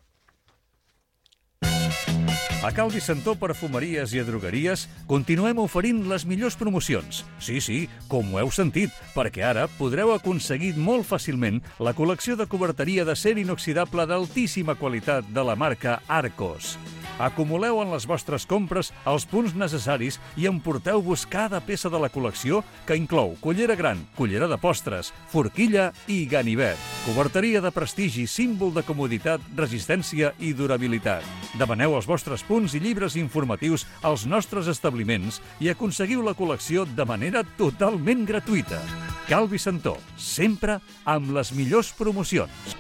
A Cal Vicentó Perfumeries i Drogueries continuem oferint les millors promocions. Sí, sí, com ho heu sentit, perquè ara podreu aconseguir molt fàcilment la col·lecció de coberteria d'acer inoxidable d'altíssima qualitat de la marca Arcos. Acumuleu en les vostres compres els punts necessaris i emporteu-vos cada peça de la col·lecció que inclou cullera gran, cullera de postres, forquilla i ganivet. Coberteria de prestigi, símbol de comoditat, resistència i durabilitat. Demaneu els vostres punts i llibres informatius als nostres establiments i aconseguiu la col·lecció de manera totalment gratuïta. Calvi Santó, sempre amb les millors promocions.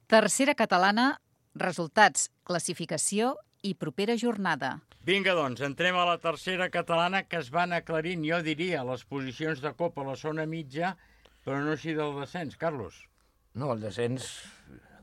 Tercera catalana, resultats, classificació i propera jornada. Vinga, doncs, entrem a la tercera catalana, que es van aclarint, jo diria, les posicions de Copa a la zona mitja, però no així del descens, Carlos. No, el descens,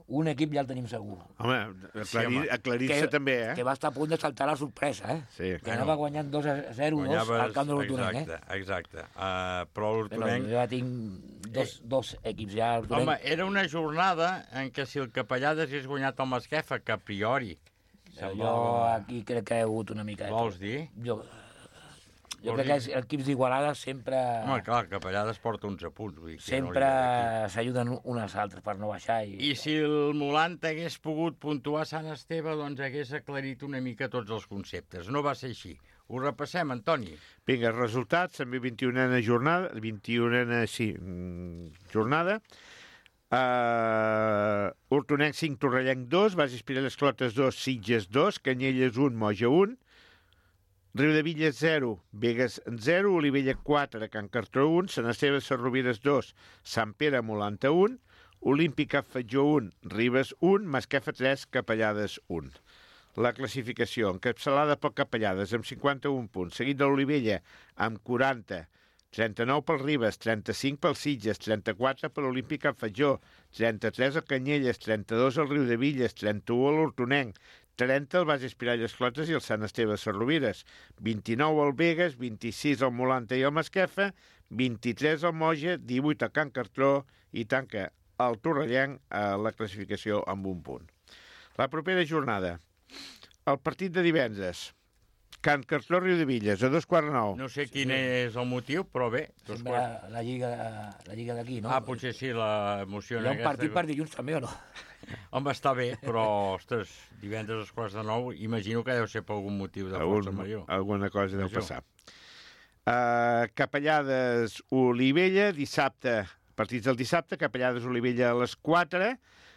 un equip ja el tenim segur. Home, aclarir, sí, aclarir-se també, eh? Que va estar a punt de saltar la sorpresa, eh? Sí. Que anava guanyant dos a zero dos al camp de l'Hortonenc, eh? Exacte, exacte. Uh, però l'Hortonenc... Jo ja tinc dos, dos equips ja. Home, era una jornada en què si el Capellades hagués guanyat el Masquefa, que a priori... Jo aquí crec que he hagut una mica... Vols dir? Jo... Jo crec que els equips d'Igualada sempre... Home, clar, el Capellades porta onze punts. Vull dir, sempre no s'ajuden uns als altres per no baixar. I, I si el Molant hagués pogut puntuar Sant Esteve, doncs hagués aclarit una mica tots els conceptes. No va ser així. Ho repassem, Antoni. Vinga, resultats, també vint-i-unena jornada, vint-i-unena, sí, jornada. Uh, Hortonenc cinc, Torrellenc dos, Bases Pirelles Clotes dos, Sitges dos, Canyelles un, Moja un, Riudevilles zero, Begues zero, Olivella quatre, Can Cartró un, Sant Esteve Sarrovires dos, Sant Pere Molanta un, Olímpica Fatjó un, Ribes un, Masquefa tres, Capellades un. La classificació, encapçalada pel Capellades amb cinquanta-un punts, seguit de l'Olivella amb quaranta, trenta-nou pel Ribes, trenta-cinc pel Sitges, trenta-quatre per l'Olímpica Fatjó, trenta-tres al Canyelles, trenta-dos al Riudevilles, trenta-u a l'Hortonenc, trenta al Bases Pirelles Clotes i el Sant Esteve Sarrovires, vint-i-nou al Begues, vint-i-sis al Molanta i el Masquefa, vint-i-tres al Moja, divuit al Can Cartró i tanca el Torrellenc a la classificació amb un punt. La propera jornada, el partit de divendres, Can Cartró Riudevilles, a dos quarts nou. No sé quin és el motiu, però bé. Sembla la lliga, la lliga d'aquí, no? Ah, potser sí, l'emoció. Hi ha un partit per dilluns també, o no? Home, està bé, però, ostres, divendres als quarts de nou, imagino que deu ser per algun motiu de força major. Alguna cosa deu passar. Uh, Capellades Olivella, dissabte, partits del dissabte, Capellades Olivella a les quatre,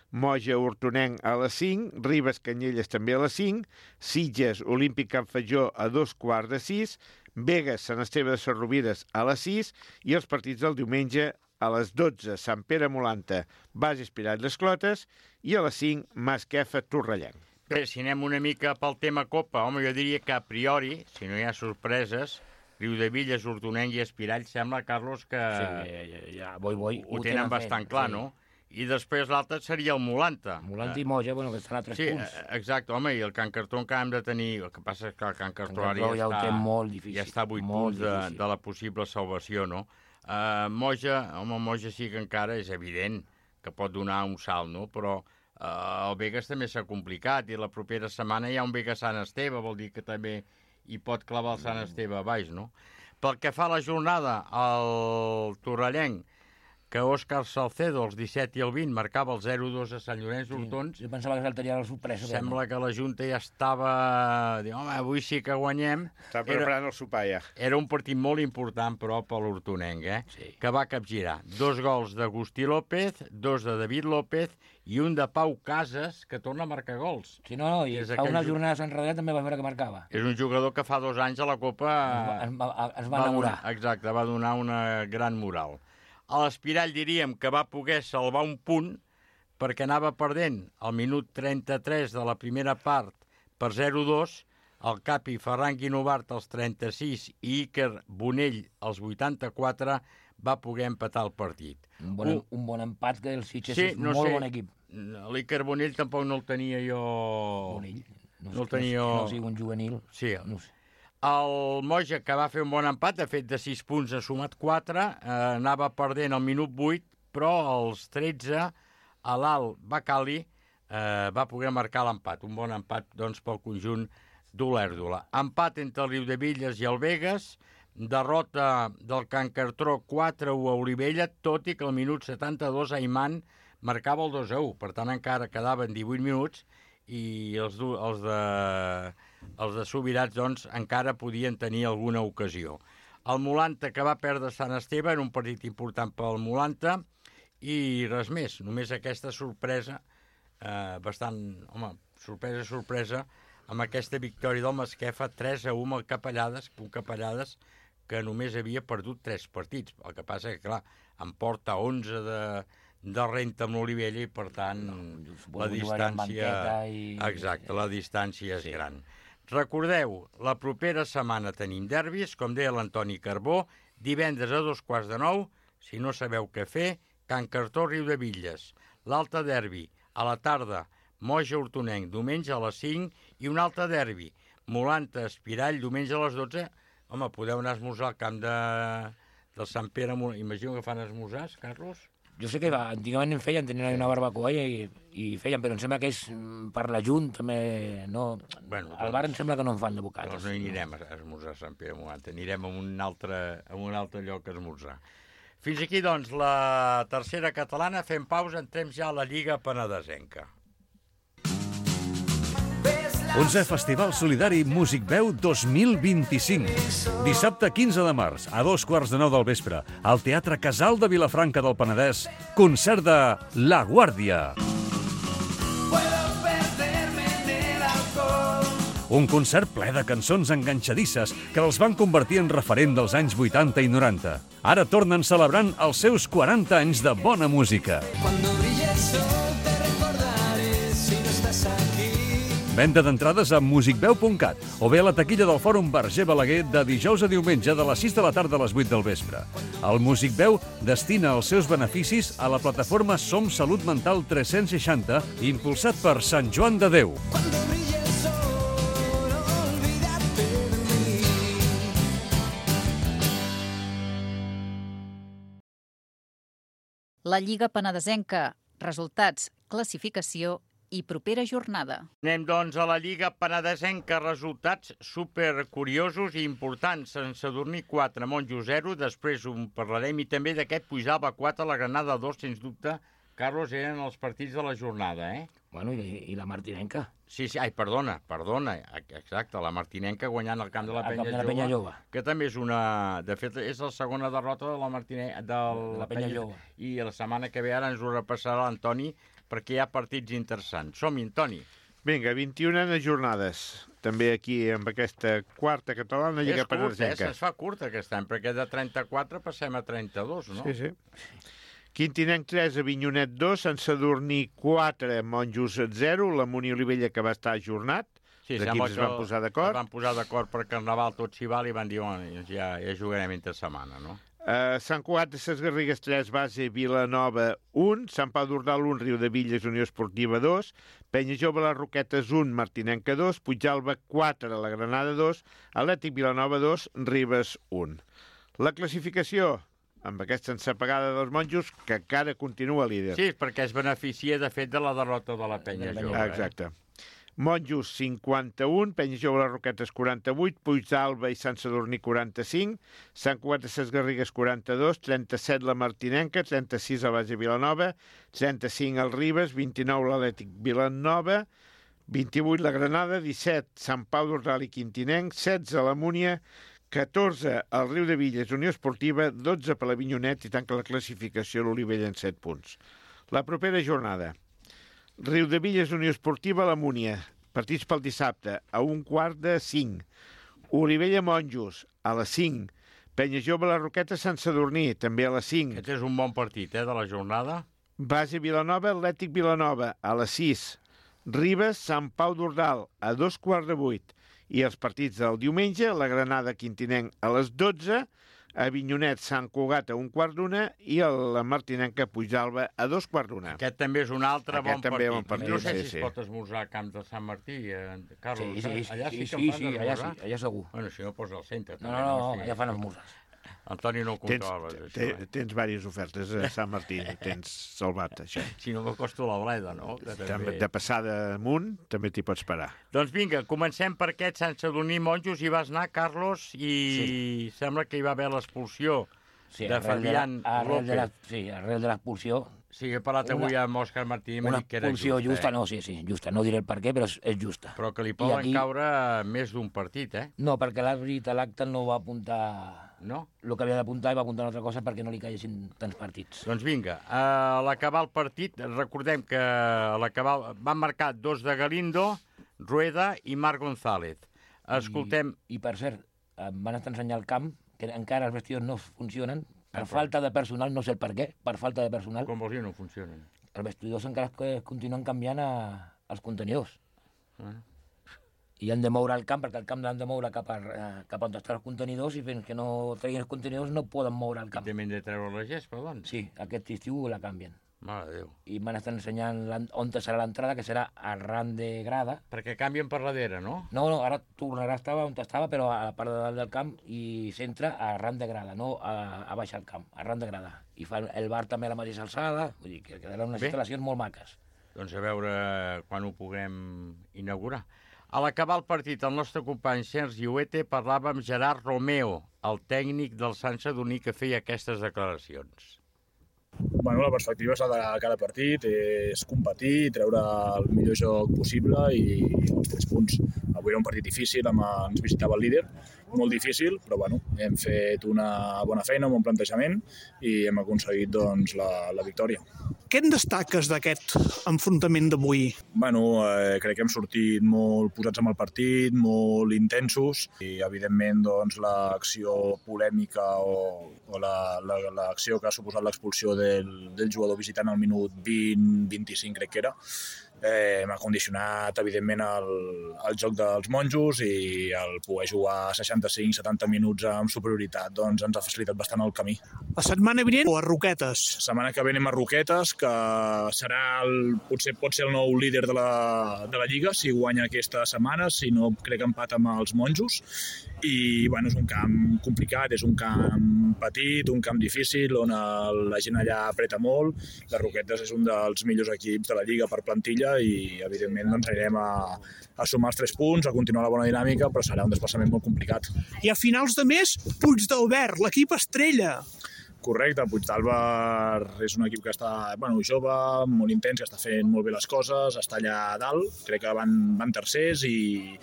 Moja Hortonenc a les cinc, Ribes Canyelles també a les cinc, Sitges Olímpic Can Fatjó a dos quarts de sis, Begues Sant Esteve de Sarrovires a les sis i els partits del diumenge a les dotze, Sant Pere Molanta, Bases Pirelles Clotes i a les cinc, Masquefa Torrellenc. Bé, si anem una mica pel tema Copa, home, jo diria que a priori, si no hi ha sorpreses, Riudevilles, Hortonenc i Espirall sembla, Carlos, que sí, ja, ja, boi, boi, ho, ho tenen, tenen bastant fet, clar, sí. No? I després l'altre seria el Molanta. Molanta i Moja, bueno, que estan a tres sí, punts. Sí, exacte, home, i el Can Cartró encara hem de tenir... El que passa és que el Can Cartró ara ja, ja, està, està, molt difícil, ja està a vuit punts de, de la possible salvació, no? Uh, Moja, home, Moja sí que encara és evident que pot donar un salt, no? Però uh, el Begues també s'ha complicat i la propera setmana hi ha un Begues Sant Esteve, vol dir que també hi pot clavar el Sant Esteve a baix, no? Pel que fa a la jornada, el Torrellenc, que Òscar Salcedo, els disset i el vint, marcava el zero dos a Sant Llorenç d'Hortons. Sí, jo pensava que saltaria la sorpresa. Sembla que la Junta ja estava... Diu, home, avui sí que guanyem. Està preparant el sopar, ja. Era un partit molt important, però, per l'Hortonenc, eh? Sí. Que va capgirar. Dos gols d'Agustí López, dos de David López i un de Pau Casas, que torna a marcar gols. Sí, no, no, i fa unes jornades enrere també va veure que marcava. És un jugador que fa dos anys a la Copa... Es va, es va enamorar. Donar, exacte, va donar una gran moral. A l'Espirall diríem que va poder salvar un punt perquè anava perdent al minut trenta-tres de la primera part per zero dos, el Capi Ferran Guinovart als trenta-sis i Iker Bonell als vuitanta-quatre va poder empatar el partit. Un bon, uh, un bon empat, que el Sitges sí, és no molt sé, bon equip. L'Iker Bonell tampoc no el tenia jo... Bonell? No, no el tenia jo... No sigui un juvenil. Sí, no sé. El Moja, que va fer un bon empat, ha fet de sis punts, ha sumat quatre, eh, anava perdent al minut vuit, però als tretze, a l'Alt Bacali eh, va poder marcar l'empat. Un bon empat, doncs, pel conjunt d'Olèrdola. Empat entre el Riudevilles i el Begues, derrota del Can Cartró quatre a u a Olivella, tot i que al minut setanta-dos Ayman marcava el dos a u, per tant encara quedaven divuit minuts i els, els, de, els de Subirats doncs, encara podien tenir alguna ocasió. El Molanta, que va perdre Sant Esteve, era un partit important pel Molanta, i res més, només aquesta sorpresa, eh, bastant, home, sorpresa, sorpresa, amb aquesta victòria del Masquefa, tres a u amb el Capellades, un Capellades que només havia perdut tres partits. El que passa que, clar, em porta onze de, de renta amb l'Olivella i, per tant, no, la distància... I... Exacte, la distància és sí. gran. Recordeu, la propera setmana tenim derbis, com deia l'Antoni Carbó, divendres a dos quarts de nou, si no sabeu què fer, Can Cartó, Riudebitlles. L'altre derbi, a la tarda, Moja, Hortonenc, diumenge a les cinc, i un altre derbi, Molanta, Espirall, diumenge a les dotze. Home, podeu anar a esmorzar al camp de, del Sant Pere. Imagino que fan esmorzars, Carlos? Jo sé que va, antigament en feien, tenien una barbacoa i, i feien, però em sembla que és per la Junt, també, no... Bueno, al bar em sembla que no en fan de bocades. Doncs no hi anirem a esmorzar a Sant Pere de Molanta, anirem a un altre, a un altre lloc a esmorzar. Fins aquí, doncs, la tercera catalana. Fem pausa, entrem ja a la Lliga Penedesenca. onzè Festival Solidari Músic Veu dos mil vint-i-cinc. Dissabte quinze de març, a dos quarts de nou del vespre, al Teatre Casal de Vilafranca del Penedès, concert de La Guàrdia. Un concert ple de cançons enganxadisses que els van convertir en referent dels anys vuitanta i noranta. Ara tornen celebrant els seus quaranta anys de bona música. Venda d'entrades a musicveu punt cat o bé a la taquilla del Fòrum Verger Balaguer de dijous a diumenge de les sis de la tarda a les vuit del vespre. El Músic Veu destina els seus beneficis a la plataforma Som Salut Mental tres-cents seixanta, impulsat per Sant Joan de Déu. La Lliga Penedesenca. Resultats, classificació i propera jornada. Anem, doncs, a la Lliga Penedesenca. Resultats supercuriosos i importants. Sant Sadurní quatre, Monjo zero, després en parlarem, i també d'aquest Puigdàlber quatre, la Granada dos, sens dubte. Carlos, eren els partits de la jornada, eh? Bueno, i, i la Martinenca. Sí, sí, ai, perdona, perdona, exacte, la Martinenca guanyant el camp de la Penya, de la Jove, Penya Jove, que també és una... De fet, és la segona derrota de la Martinenca, de la, la Penya Jove. I la setmana que ve ara ens ho repassarà l'Antoni, perquè hi ha partits interessants. Som-hi, Antoni. Vinga, vint-i-una jornades. També aquí, amb aquesta quarta catalana, Lliga Penedesenca. És curt, eh? Es fa curt aquest any, perquè de trenta-quatre passem a trenta-dos, no? Sí, sí. Quintinenc tres, Avinyonet dos, Sant Sadurní quatre, Monjos zero, la Munió Olivella que va estar ajornat. Sí, sembla que es van posar d'acord. Es van posar d'acord per Carnaval, tot s'hi val, i van dir, oh, ja, ja jugarem entre setmana, no? Uh, Sant Cugat de Ses Garrigues tres, Base Vilanova un, Sant Pau d'Ordal un, Riudebitlles Unió Esportiva dos, Penya Jove Les Roquetes un, Martinenca dos, Puigdàlber quatre, la Granada dos, Atlètic Vilanova dos, Ribes un. La classificació, amb aquesta ensapegada dels monjos, que encara continua líder. Sí, perquè es beneficia, de fet, de la derrota de la Penya Jove. Exacte. Eh? Monjos cinquanta-un, Penya Jove Les Roquetes quaranta-vuit, Puigdàlber i Sant Sadurní quaranta-cinc, Sant Cugat de Ses Garrigues quaranta-dos, trenta-set la Martinenca, trenta-sis la Base Vilanova, trenta-cinc el Ribes, vint-i-nou l'Atlètic Vilanova, vint-i-vuit la Granada, disset Sant Pau d'Ordal i Quintinenc, setze la Múnia, catorze el Riudebitlles Unió Esportiva, dotze per l'Avinyonet i tanca la classificació l'Olivella en set punts. La propera jornada. Riudebitlles Unió Esportiva, la Múnia. Partits pel dissabte, a un quart de cinc. Olivella Monjos, a les cinc. Penya Jove Les Roquetes Sant Sadurní, també a les cinc. Aquest és un bon partit, eh, de la jornada. Base Vilanova, Atlètic Vilanova, a les sis. Ribes, Sant Pau d'Ordal, a dos quarts de vuit. I els partits del diumenge, la Granada Quintinenc a les dotze, Avinyonet Sant Cugat a un quart d'una i la Martinenca Puigdàlber a dos quarts d'una. Aquest també és un altre Aquest bon també partit. Bon partit. No sé sí, si sí. es pot esmorzar a Camps de Sant Martí, eh, Carlos. Sí, sí, sí, allà sí, sí, que sí, fan sí, allà sí, esmorzar. allà segur. Bueno, si no posa al centre. No, no, no, no, allà fan esmorzars. Antoni no ho controla. Tens, te, tens diverses ofertes a Sant Martí, tens salvat, això. Si no m'acosto la bleda, no? També... De passada amunt, també t'hi pots parar. Doncs vinga, comencem per aquest Sant Sadurní Monjos. Hi vas anar, Carlos, i sí. Sembla que hi va haver l'expulsió sí, de Fabián de la, arrel López. De la, sí, arrel de l'expulsió, Sí, he parlat avui una, amb Òscar Martí i m'ha una dit que era expulsió justa. justa, Eh? no, sí, sí, justa. No diré el per què, però és, és justa. Però que li poden aquí... caure més d'un partit, eh? No, perquè l'àrbit a l'acte no va apuntar... No? El que havia d'apuntar i va apuntar una altra cosa perquè no li caiguessin tants partits. Doncs vinga, a l'acabar el partit, recordem que a l'acabar van marcar dos de Galindo, Rueda i Marc González. Escoltem... I, i per cert, em van estar ensenyar el camp, que encara els vestidors no funcionen, per ah, falta de personal, no sé el per què, per falta de personal. Com vols dir, no funcionen? Els vestidors encara es continuen canviant a, als contenidors. Ah. I han de moure el camp, perquè el camp l'han de moure cap, a, cap on estan els contenidors, i fins que no treguin els contenidors no poden moure el camp. I també han de treure la gespa, doncs? Sí, aquest estiu la canvien. Mare de Déu. I m'han estat ensenyant on serà l'entrada, que serà arran de grada. Perquè canvien per darrere, no? No, no, ara tornarà a estar on estava, però a la part de dalt del camp, i s'entra arran de grada, no a, a baix al camp, arran de grada. I fa el bar també a la mateixa alçada, vull dir que quedaran unes Bé. instal·lacions molt maques. Doncs a veure quan ho puguem inaugurar. A l'acabar el partit, el nostre company Sergi Huete parlava amb Gerard Romeo, el tècnic del Sant Sadurní, que feia aquestes declaracions. Bueno, la perspectiva és la de cada partit, és competir, treure el millor joc possible i, i els tres punts. Avui era un partit difícil, amb, ens visitava el líder, molt difícil, però bueno, hem fet una bona feina, un bon plantejament i hem aconseguit doncs, la, la victòria. Què en destaques d'aquest enfrontament d'avui? Bueno, eh, crec que hem sortit molt posats amb el partit, molt intensos i evidentment doncs, l'acció polèmica o, o l'acció que ha suposat l'expulsió del, del jugador visitant al minut vint vint-i-cinc crec que era, Eh, m'ha condicionat, evidentment, el, el joc dels monjos i el poder jugar seixanta-cinc setanta minuts amb superioritat doncs ens ha facilitat bastant el camí. La setmana vinent o a Roquetes? La setmana que ve anem a Roquetes, que serà el, potser pot ser el nou líder de la, de la Lliga si guanya aquesta setmana, si no crec que empat amb els monjos. I bueno, és un camp complicat, és un camp petit, un camp difícil, on el, la gent allà apreta molt. Les Roquetes és un dels millors equips de la Lliga per plantilla i, evidentment, doncs, anirem a, a sumar els tres punts, a continuar la bona dinàmica, però serà un desplaçament molt complicat. I a finals de mes, Puigdàlber, l'equip estrella. Correcte, Puigdàlber és un equip que està bueno, jove, molt intens, que està fent molt bé les coses, està allà a dalt, crec que van, van tercers i,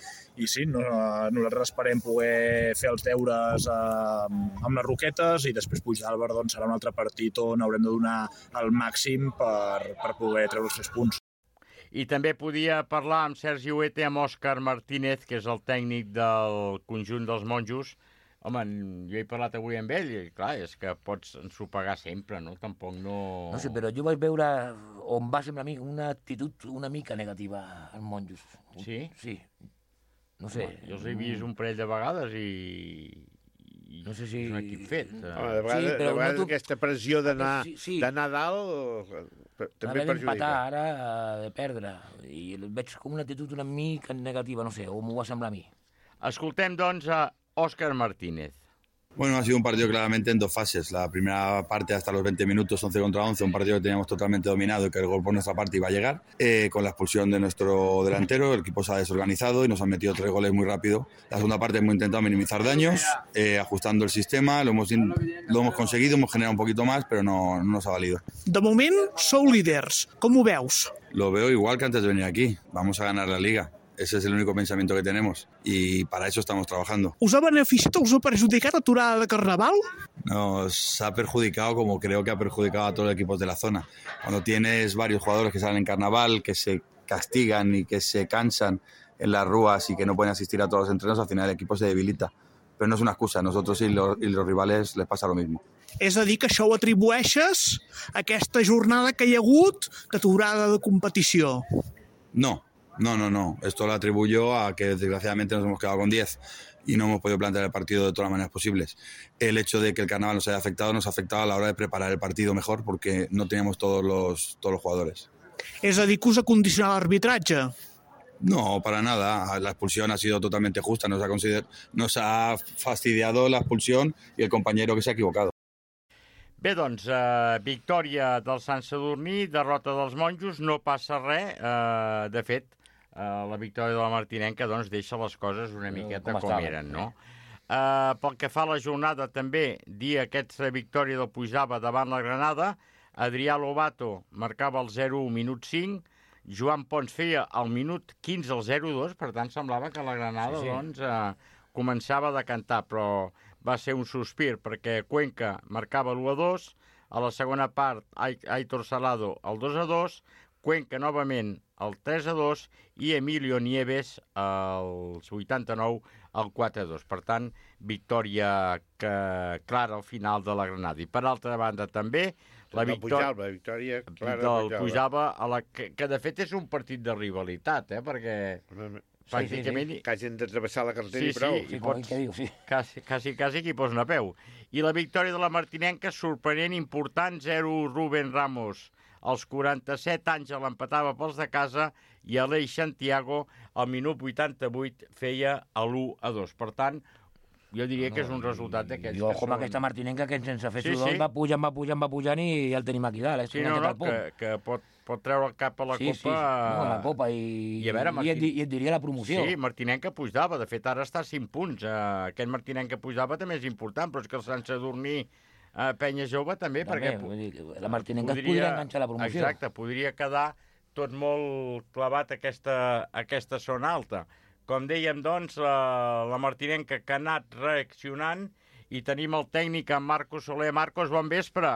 i sí, no, nosaltres esperem poder fer els deures eh, amb les Roquetes i després Puigdàlber doncs, serà un altre partit on haurem de donar el màxim per, per poder treure els tres punts. I també podia parlar amb Sergi Huete, amb Òscar Martínez, que és el tècnic del conjunt dels monjos. Home, jo he parlat avui amb ell i, clar, és que pots ensopegar sempre, no? Tampoc no... No sé, però jo vaig veure on va semblar a mi una actitud una mica negativa als monjos. Sí? Sí. No sé. Home, jo els he vist un parell de vegades i... i no sé si... és un equip fet. Home, de vegades, sí, de vegades no tu... aquesta pressió d'anar sí, sí. d'anar dalt també perjudica. D'empatar ara, de perdre. I veig com una actitud una mica negativa, no sé, o m'ho va semblar a mi. Escoltem, doncs, a Óscar Martínez. Bueno, ha sido un partido claramente en dos fases. La primera parte hasta los veinte minutos, once contra once, un partido que teníamos totalmente dominado y que el gol por nuestra parte iba a llegar. Eh, con la expulsión de nuestro delantero, el equipo se ha desorganizado y nos han metido tres goles muy rápido. La segunda parte hemos intentado minimizar daños, eh, ajustando el sistema, lo hemos, lo hemos conseguido, hemos generado un poquito más, pero no, no nos ha valido. De moment, sou líders. Com ho veus? Lo veo igual que antes de venir aquí. Vamos a ganar la Liga. Ese es el único pensamiento que tenemos y para eso estamos trabajando. ¿Us ha beneficiat o us ha perjudicat l'aturada de Carnaval? Nos ha perjudicado como creo que ha perjudicado a todos los equipos de la zona. Cuando tienes varios jugadores que salen en Carnaval, que se castigan y que se cansan en las rúas y que no pueden asistir a todos los entrenos, al final el equipo se debilita. Pero no es una excusa, a nosotros y los, y los rivales les pasa lo mismo. És a dir, que això ho atribueixes a aquesta jornada que hi ha hagut d'aturada de competició? No. No, no, no. Esto lo atribuyo a que desgraciadamente nos hemos quedado con diez y no hemos podido plantear el partido de todas las maneras posibles. El hecho de que el carnaval nos haya afectado nos ha afectado a la hora de preparar el partido mejor porque no teníamos todos los, todos los jugadores. És a dir, que us ha condicionat l'arbitratge? No, para nada. La expulsión ha sido totalmente justa. Nos ha, consider... nos ha fastidiado la expulsión y el compañero que se ha equivocado. Bé, doncs, eh, victòria del Sant Sadurní, derrota dels monjos, no passa res. Eh, de fet, eh, la victòria de la Martinenca doncs, deixa les coses una miqueta com, com eren, no? Eh, pel que fa a la jornada, també, dir aquesta victòria del Puigdàlber davant la Granada, Adrià Lobato marcava el zero u minut cinc, Joan Pons feia al minut quinze el zero dos, per tant semblava que la Granada sí, sí. doncs, eh, començava a decantar, però va ser un sospir perquè Cuenca marcava l'u a dos, a la segona part Aitor Salado el dos a dos, Cuenca novament el tres a dos i Emilio Nieves als vuitanta-nou el quatre a dos. Per tant, victòria que, clara al final de la Granada. I per altra banda també la victòria, Pujalba, victòria clara del Pujalba, a la que, que de fet és un partit de rivalitat, eh? Perquè pràcticament... Sí, sí, sí. Que hagin de travessar la carretera sí, i prou. Sí, i pots... sí. Quasi, quasi, quasi que hi posen a peu. I la victòria de la Martinenca, sorprenent, important, zero u Rubén Ramos. Als quaranta-set anys l'empatava pels de casa i Aleix Santiago al minut vuitanta-vuit feia l'u a dos. Per tant, jo diria que és un resultat d'aquests. I ojo amb aquesta Martinenca que sense fer sudor sí, sí. va pujant, va pujant, va pujant i ja el tenim aquí dalt. Eh? Sí, no, no, que, que pot, pot treure el cap a la sí, Copa. Sí, sí. No, a la Copa i, i, a veure, Martin... i, et, i et diria la promoció. Sí, Martinenca Puigdava, de fet ara està a cinc punts. Uh, aquest Martinenca Puigdava també és important, però és que el Sant Sadurní uh, Penya Jove també, també perquè... Dir, la Martinenca podria, es podria enganxar la promoció. Exacte, podria quedar tot molt clavat aquesta, aquesta zona alta. Com dèiem, doncs, la, la Martinenca que ha anat reaccionant i tenim el tècnic en Marcos Soler. Marcos, bon vespre.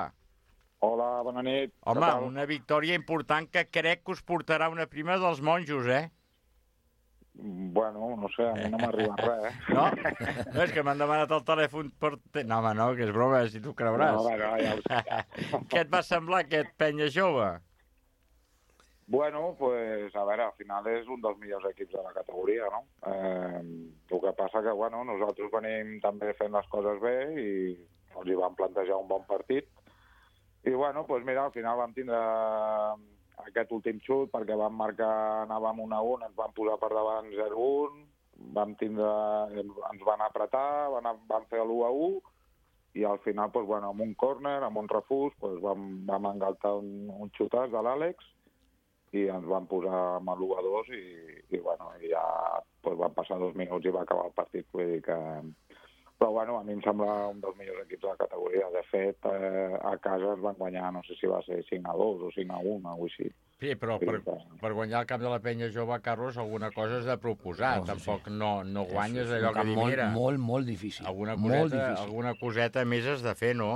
Hola, bona nit. Home, una victòria important que crec que us portarà una prima dels monjos, eh? Bueno, no sé, a mi no m'arriba res, eh? No? No, és que m'han demanat el telèfon per... No, home, no, que és broma, si tu creuràs. No, no, ja ho sé. Què et va semblar aquest Penya Jove? Bueno, pues, a veure, al final és un dels millors equips de la categoria, no? Eh, el que passa que, bueno, nosaltres venim també fent les coses bé i els hi vam plantejar un bon partit. I, bueno, pues mira, al final vam tindre aquest últim xut perquè vam marcar, anàvem un a un, ens vam posar per davant zero a un, vam tindre, ens van apretar, van, van fer l'u a u i al final, pues, bueno, amb un córner, amb un refús, pues, vam, vam engaltar un, un xutàs de l'Àlex i ens van posar amb l'u a dos i, i, bueno, i ja pues, van passar dos minuts i va acabar el partit. Vull dir que... Però, bueno, a mi em sembla un dels millors equips de la categoria. De fet, eh, a casa es van guanyar, no sé si va ser cinc a dos o cinc a un, o així. Sí, però per, per guanyar el camp de la Penya Jove, Carlos, alguna cosa has de proposar. No, Tampoc sí. no, no guanyes és, és allò que dic, molt, mira... Molt, molt difícil. Alguna coseta, molt difícil. Alguna coseta més has de fer, no?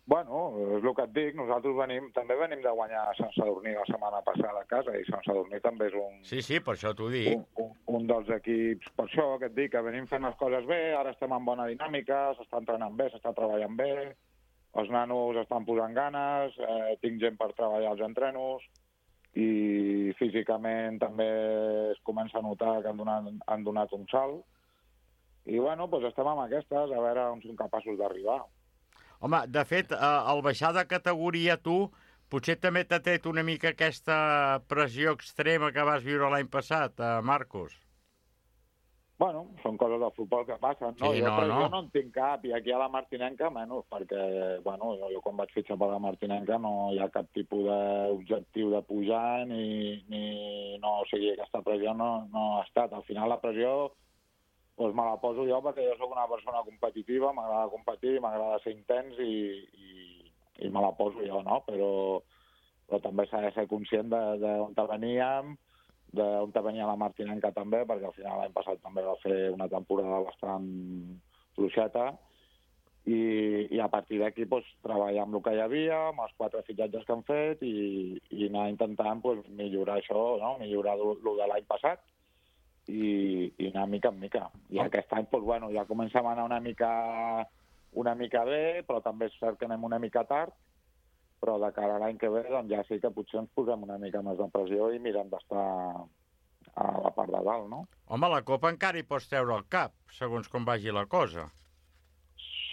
Bueno, és el que et dic, nosaltres venim, també venim de guanyar Sant Sadurní la setmana passada a casa, i Sant Sadurní també és un... Sí, sí, per això t'ho dic. Un, un, un dels equips, per això que et dic, que venim fent les coses bé, ara estem en bona dinàmica, s'està entrenant bé, s'està treballant bé, els nanos estan posant ganes, eh, tinc gent per treballar als entrenos, i físicament també es comença a notar que han donat, han donat un salt, i bueno, doncs estem amb aquestes, a veure on som capaços d'arribar. Home, de fet, eh, al baixar de categoria tu, potser també t'ha tret una mica aquesta pressió extrema que vas viure l'any passat, eh, Marcos. Bueno, són coses del futbol que passen, no? Sí, jo no, pressió no. no en tinc cap, i aquí a la Martinenca menys, perquè, bueno, jo, jo quan vaig fitxar per la Martinenca no hi ha cap tipus d'objectiu de pujar, ni, ni no, o sigui, aquesta pressió no, no ha estat. Al final la pressió... Doncs me la poso jo perquè jo sóc una persona competitiva, m'agrada competir, m'agrada ser intens i, i, i me la poso jo, no? Però, però també s'ha de ser conscient d'on veníem, d'on venia la Martinenca també, perquè al final l'any passat també va fer una temporada bastant fluixeta i, i a partir d'aquí doncs, treballar amb el que hi havia, amb els quatre fitxatges que han fet i, i anar intentant doncs, millorar això, no? Millorar el de l'any passat. I, i anar mica en mica. I oh. aquest any, doncs, bueno, ja comencem a anar una mica, una mica bé, però també és cert que anem una mica tard, però de cara a l'any que ve doncs, ja sí que potser ens posem una mica més de pressió i mirem d'estar a la part de dalt, no? Home, la Copa encara hi pots treure el cap, segons com vagi la cosa.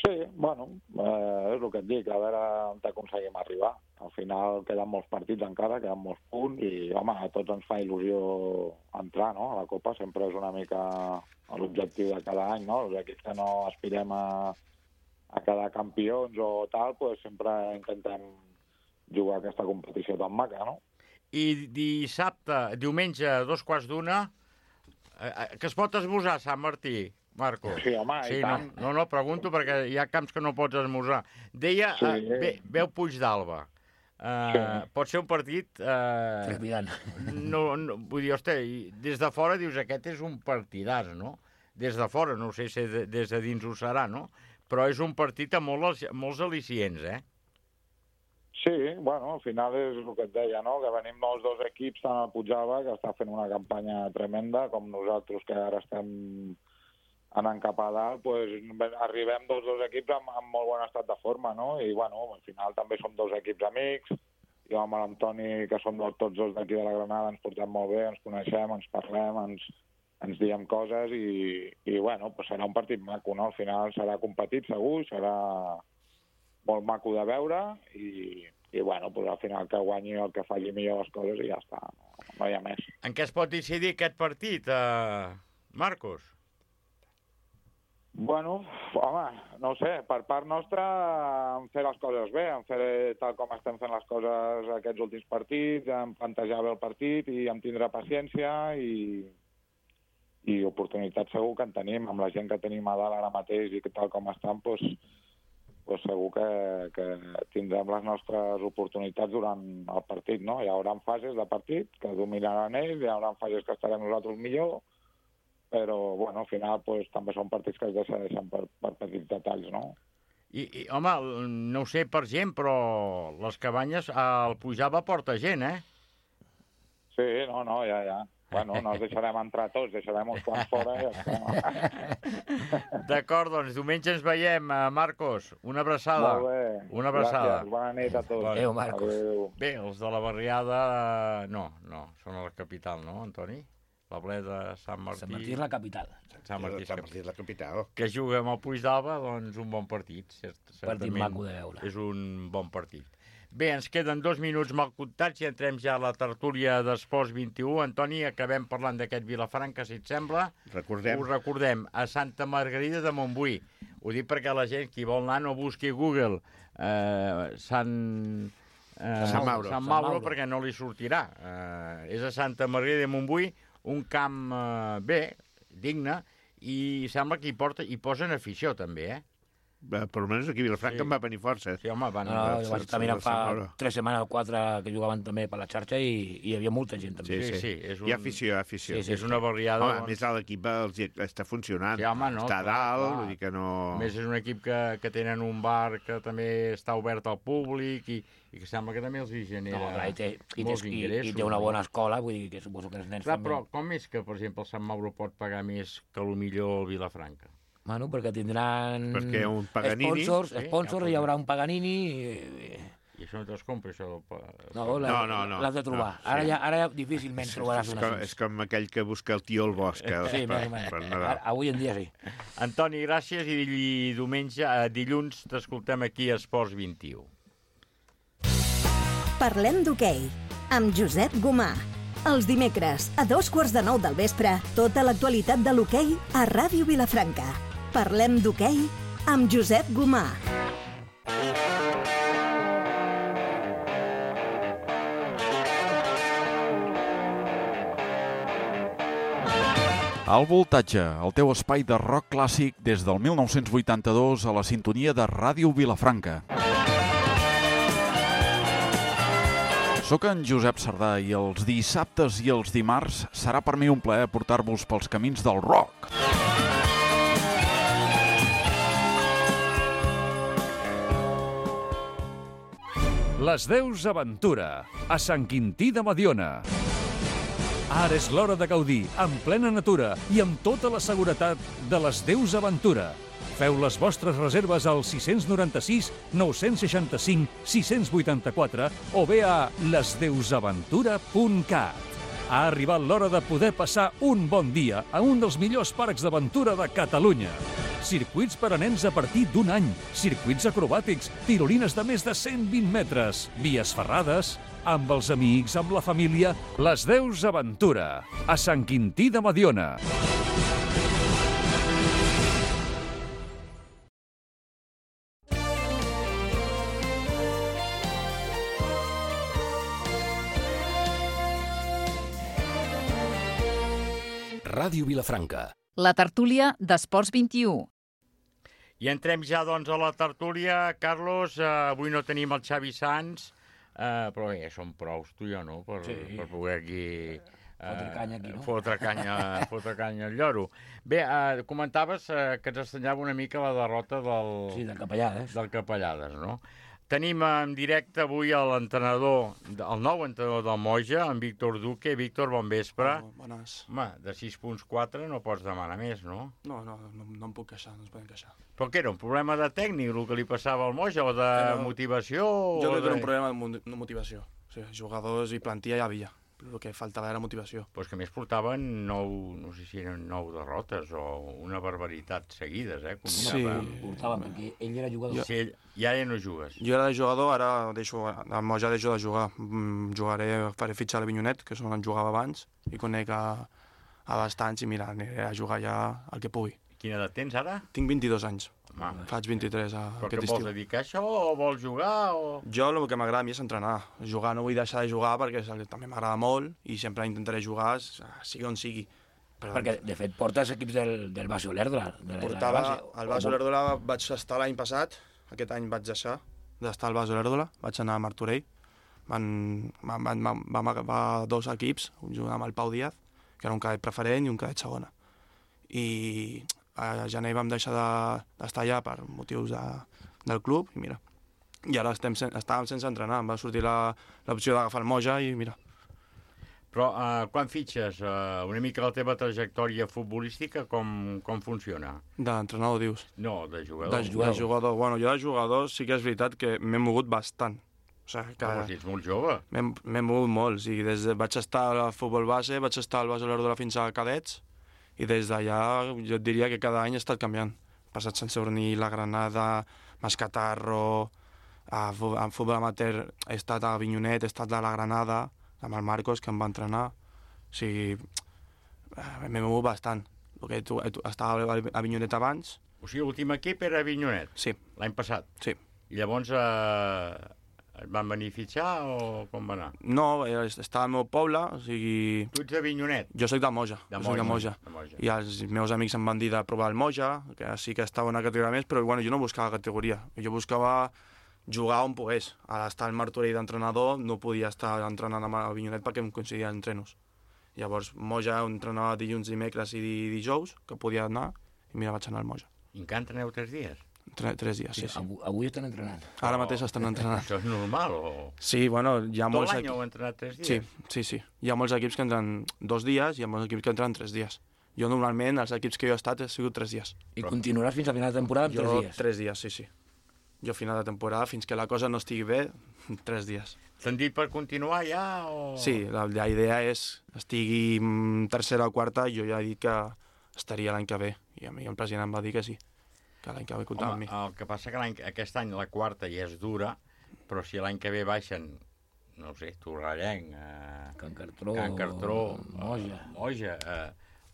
Sí, bueno, eh, és el que et dic, a veure on aconseguim arribar. Al final queden molts partits encara, queden molts punts i, home, a tots ens fa il·lusió entrar, no?, a la Copa. Sempre és una mica l'objectiu de cada any, no? Els equips que no aspirem a, a quedar campions o tal, pues sempre intentem jugar aquesta competició tan maca, no? I dissabte, diumenge, a dos quarts d'una, eh, que es pot esmorzar, Sant Martí? Marcos? Sí, home, i sí, tant. No, no, no, pregunto perquè hi ha camps que no pots esmorzar. Deia, Sí. uh, ve, veu Puigdàlber. Uh, Sí. Pot ser un partit... Uh, Trepidant. no, no, vull dir, hosti, des de fora dius, aquest és un partidàs, no? Des de fora, no sé si de, des de dins ho serà, no? Però és un partit amb molts, molts al·licients, eh? Sí, bueno, al final és el que et deia, no? Que venim els dos equips, tant el Puigdàlber, que està fent una campanya tremenda, com nosaltres, que ara estem anant cap a dalt, pues, arribem tots dos equips amb, amb molt bon estat de forma, no? I, bueno, al final també som dos equips amics, jo amb l'Antoni, que som tots dos d'aquí de la Granada, ens portem molt bé, ens coneixem, ens parlem, ens, ens diem coses i, i bueno, pues serà un partit maco, no? Al final serà competit, segur, serà molt maco de veure i, i bueno, pues al final que guanyi el que faci millor les coses i ja està, no, no hi ha més. En què es pot decidir aquest partit, eh, Marcos? Bueno, home, no ho sé, per part nostra en fer les coses bé, en fer tal com estem fent les coses aquests últims partits, en plantejar bé el partit i en tindre paciència i, i oportunitats segur que en tenim, amb la gent que tenim a dalt ara mateix i que tal com estan, doncs, doncs segur que, que tindrem les nostres oportunitats durant el partit, no? Hi haurà fases de partit que dominaran ells, hi haurà fases que estarem nosaltres millor, però, bueno, al final pues, també són partits que es decideixen per, per petits detalls, no? I, i, home, no ho sé per gent, però les cabanyes, el Puigdàlber porta gent, eh? Sí, no, no, ja, ja. Bueno, no els deixarem entrar tots, deixarem uns quants fora i ja està. D'acord, doncs, diumenge ens veiem, Marcos. Una abraçada. Molt bé. Una abraçada. Gràcies, bona nit a tots. Adéu, Marcos. Adéu. Bé, els de la barriada... No, no, són a la capital, no, Antoni? La ple de Sant Martí... Sant Martí és la capital. Sant Martí, Sant Martí és la capital. Que juga amb el Puigdàlber, doncs un bon partit. Certament Partit maco de veure. És un bon partit. Bé, ens queden dos minuts mal comptats i entrem ja a la tertúlia d'Esports vint i u. Antoni, acabem parlant d'aquest Vilafranca, si et sembla. Recordem. Us recordem, a Santa Margarida de Montbui. Ho dic perquè la gent, qui vol anar, no busqui Google eh, Sant... Eh, Sant Mauro. Sant Mauro, perquè no li sortirà. Eh, és a Santa Margarida de Montbui, un camp eh, bé, digne, i sembla que hi, porta, hi posen afició també, eh? Per almenys aquí a Vilafranca Sí. em va venir força. Sí, home, van... No, no, jo vaig estar mirant fa Sant Mauro. tres setmanes o quatre que jugaven també per la xarxa i, i hi havia molta gent també. Sí, sí, és un... Hi ha afició, hi ha afició. Sí, sí, és una barriada... Home, a doncs... més, l'equip els hi està funcionant. Sí, home, no, està a clar, dalt, clar. vull dir que no... A més, és un equip que, que tenen un bar que també està obert al públic i, i que sembla que també els hi genera No, clar, i, té, i, molts té, i, ingressos. i té una no? bona escola, vull dir que suposo que els nens Clar, també... però com és que, per exemple, el Sant Mauro pot pagar més que el millor el Vilafranca? Bueno, perquè tindran Perquè un Paganini... sponsors, Sí, sponsors ja, hi haurà un Paganini... I, I això no te'ls compra, això del... no, la, No, no, no, l'has de trobar. no, ara, sí. ja, ara ja difícilment És, trobaràs és, una com, així. és com aquell que busca el tio al bosc eh, Sí, per, més o menys. per Ara, Nadal. avui en dia sí. Antoni, gràcies i diumenge, eh, dilluns t'escoltem aquí a Esports vint i u. Parlem d'hoquei, amb Josep Gomà. Els dimecres, a dos quarts de nou del vespre, tota l'actualitat de l'hoquei a Ràdio Vilafranca. Parlem d'hoquei amb Josep Gomà. Al voltatge, el teu espai de rock clàssic des del mil nou-cents vuitanta-dos a la sintonia de Ràdio Vilafranca. Soc en Josep Sardà i els dissabtes i els dimarts serà per mi un plaer portar-vos pels camins del rock. Les Deus Aventura, a Sant Quintí de Mediona. Ara és l'hora de gaudir, en plena natura i amb tota la seguretat de les Deus Aventura. Feu les vostres reserves al sis nou sis, nou sis cinc, sis vuit quatre o bé a les deus aventura punt cat. Ha arribat l'hora de poder passar un bon dia a un dels millors parcs d'aventura de Catalunya. Circuits per a nens a partir d'un any, circuits acrobàtics, tirolines de més de cent vint metres, vies ferrades, amb els amics, amb la família, les Deus Aventura, a Sant Quintí de Mediona. Ràdio Vilafranca, La tertúlia d'Esports vint-i-u. I entrem ja, doncs, a la tertúlia. Carlos, eh, avui no tenim el Xavi Sans, eh, però bé, som prous, tu i jo, no?, per, Sí. per poder aquí... Eh, Fotre canya aquí, no? Fotre canya, fotre canya al lloro. Bé, eh, comentaves eh, que ens estranyava una mica la derrota del... Sí, del Capellades. Del Capellades, no? Tenim en directe avui l'entrenador, el nou entrenador del Moja, en Víctor Duque. Víctor, bon vespre. Oh, bones. Home, de sis punts quatre no pots demanar més, no? No, no, no, no em puc queixar, no ens podem queixar. Però què era, un problema de tècnic, el que li passava al Moja, o de Però motivació? Jo o crec que de... era un problema de mo- de motivació. O sigui, jugadors i plantilla hi havia. El que faltava era motivació. Pues que a més portaven nou, no sé si eren nou derrotes o una barbaritat seguides, eh? Com Sí. Portaven, perquè ell era jugador. Sí, ell, i ara ja no jugues. Jo era jugador, ara deixo, al Moja deixo de jugar. Mm, jugaré, faré fitxar a l'Avinyonet, que és on jugava abans, i conec a, a bastants, i mira, aniré a jugar ja el que pugui. Quina edat tens ara? Tinc vint-i-dos anys. Home. Faig vint-i-tres a, Però aquest que estiu. vols dedicar a això o vols jugar? O... Jo el que m'agrada a mi és entrenar. Jugar no vull deixar de jugar perquè també m'agrada molt i sempre intentaré jugar, sigui on sigui. Però... Perquè, de fet, portes equips del, del Basi Olerdra. De la, Portava, la base. al Bas Olèrdola vaig estar l'any passat, aquest any vaig deixar d'estar al Bas Olèrdola, vaig anar a Martorell, van, van, van, van, vam agafar dos equips, junt amb el Pau Díaz, que era un cadet preferent i un cadet segona. I a gener vam deixar de- d'estar allà per motius de, del club, i mira, i ara estem, sen- estàvem sense entrenar, em va sortir la- l'opció d'agafar el Moja i mira. Però uh, quan fitxes uh, una mica la teva trajectòria futbolística, com, com funciona? D'entrenador, dius? No, de jugador. De, de jugador. Bueno, jo de jugador sí que és veritat que m'he mogut bastant. O sigui, que... Home, si ets molt jove. M'he m'he mogut molt. O sigui, des de, vaig estar al futbol base, vaig estar al Bas Olèrdola fins a cadets, i des d'allà jo et diria que cada any he estat canviant. He passat Sant Sadurní, la Granada, Mascatarro, a, fu- a futbol amateur he estat a Avinyonet, he estat a la Granada, amb el Marcos, que em va entrenar. O sigui, eh, m'he mogut bastant. El que tu, tu, estava a Avinyonet abans. O sigui, l'últim equip era Avinyonet? Sí. L'any passat? Sí. I llavors eh, et van venir a fitxar o com va anar? No, eh, estava al meu poble, o sigui... Tu ets d'Avinyonet? Jo soc de Moja. De jo soc de Moja, Moja. de Moja. I els meus amics em van dir de provar el Moja, que sí que estava una categoria més, però bueno, jo no buscava categoria. Jo buscava jugar on pogués. A estar al Martorell d'entrenador no podia estar entrenant amb el Avinyonet perquè em coincidien entrenos. Llavors, Moja entrenava dilluns, dimecres i di- dijous, que podia anar, i mira, vaig anar al Moja. I encara entreneu tres dies? Tre tres dies, sí, sí. Avui, avui estan entrenant. Ara mateix estan entrenant. Això és normal o...? Sí, bueno, hi ha Tot molts... l'any equi- heu entrenat tres dies? Sí, sí, sí. Hi ha molts equips que entren dos dies i hi ha molts equips que entren tres dies. Jo normalment, els equips que jo he estat, he sigut tres dies. I continuaràs fins a final de temporada amb jo, tres dies? tres dies, sí, sí. Jo a final de temporada, fins que la cosa no estigui bé, tres dies. T'han dit per continuar ja o...? Sí, la, la idea és estigui mm, tercera o quarta, jo ja he dit que estaria l'any que ve. I a mi el president em va dir que sí, que l'any que ve comptava amb Home, mi. el que passa que l'any, aquest any la quarta ja és dura, però si l'any que ve baixen, no ho sé, Torrellenc, eh, Can Cartró, Can Cartró, Moja. eh, Moja eh,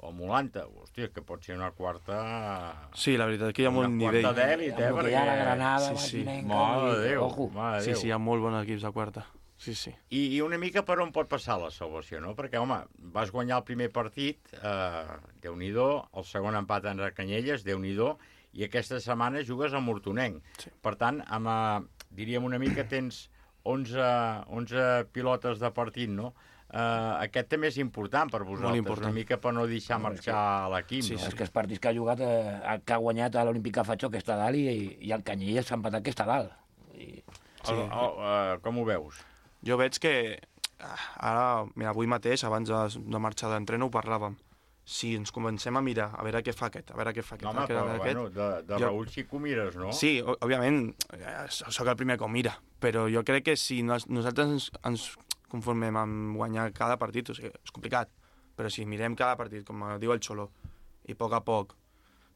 o Molanta, hòstia, que pot ser una quarta... Sí, la veritat que hi ha molt una nivell. quarta d'èlit, eh? Amb el que hi ha a la Granada, Sí, sí. Martinenca, Mare de Déu, ojo. mare de Sí, Déu. sí, hi ha molt bons equips de quarta. Sí, sí. I, I una mica per on pot passar la salvació, no? Perquè, home, vas guanyar el primer partit, eh, Déu-n'hi-do, el segon empat en Canyelles, Déu-n'hi-do, i aquesta setmana jugues a Mortonenc. Sí. Per tant, amb, eh, diríem una mica, tens onze, onze pilotes de partit, no? Eh, aquest també és important per vosaltres, important. una mica per no deixar marxar l'equip, Sí, no? sí. És que els partits que ha jugat, eh, que ha guanyat a l'Olímpic Fatxó, que està a dalt, i, i el Canyelles s'ha empatat, que està a dalt. I... Sí. El, el, uh, com ho veus? Jo veig que ah, ara, mira, avui mateix, abans de, de marxar d'entreno, ho parlàvem. Si ens comencem a mirar, a veure què fa aquest, a veure què fa aquest... No, home, a però, veure bueno, aquest, de, de jo- Raül sí que ho mires, no? Sí, o- òbviament, eh, sóc el primer que ho mira, però jo crec que si nos, nosaltres ens, ens conformem amb guanyar cada partit, o sigui, és complicat, però si mirem cada partit, com diu el Xoló, i a poc a poc,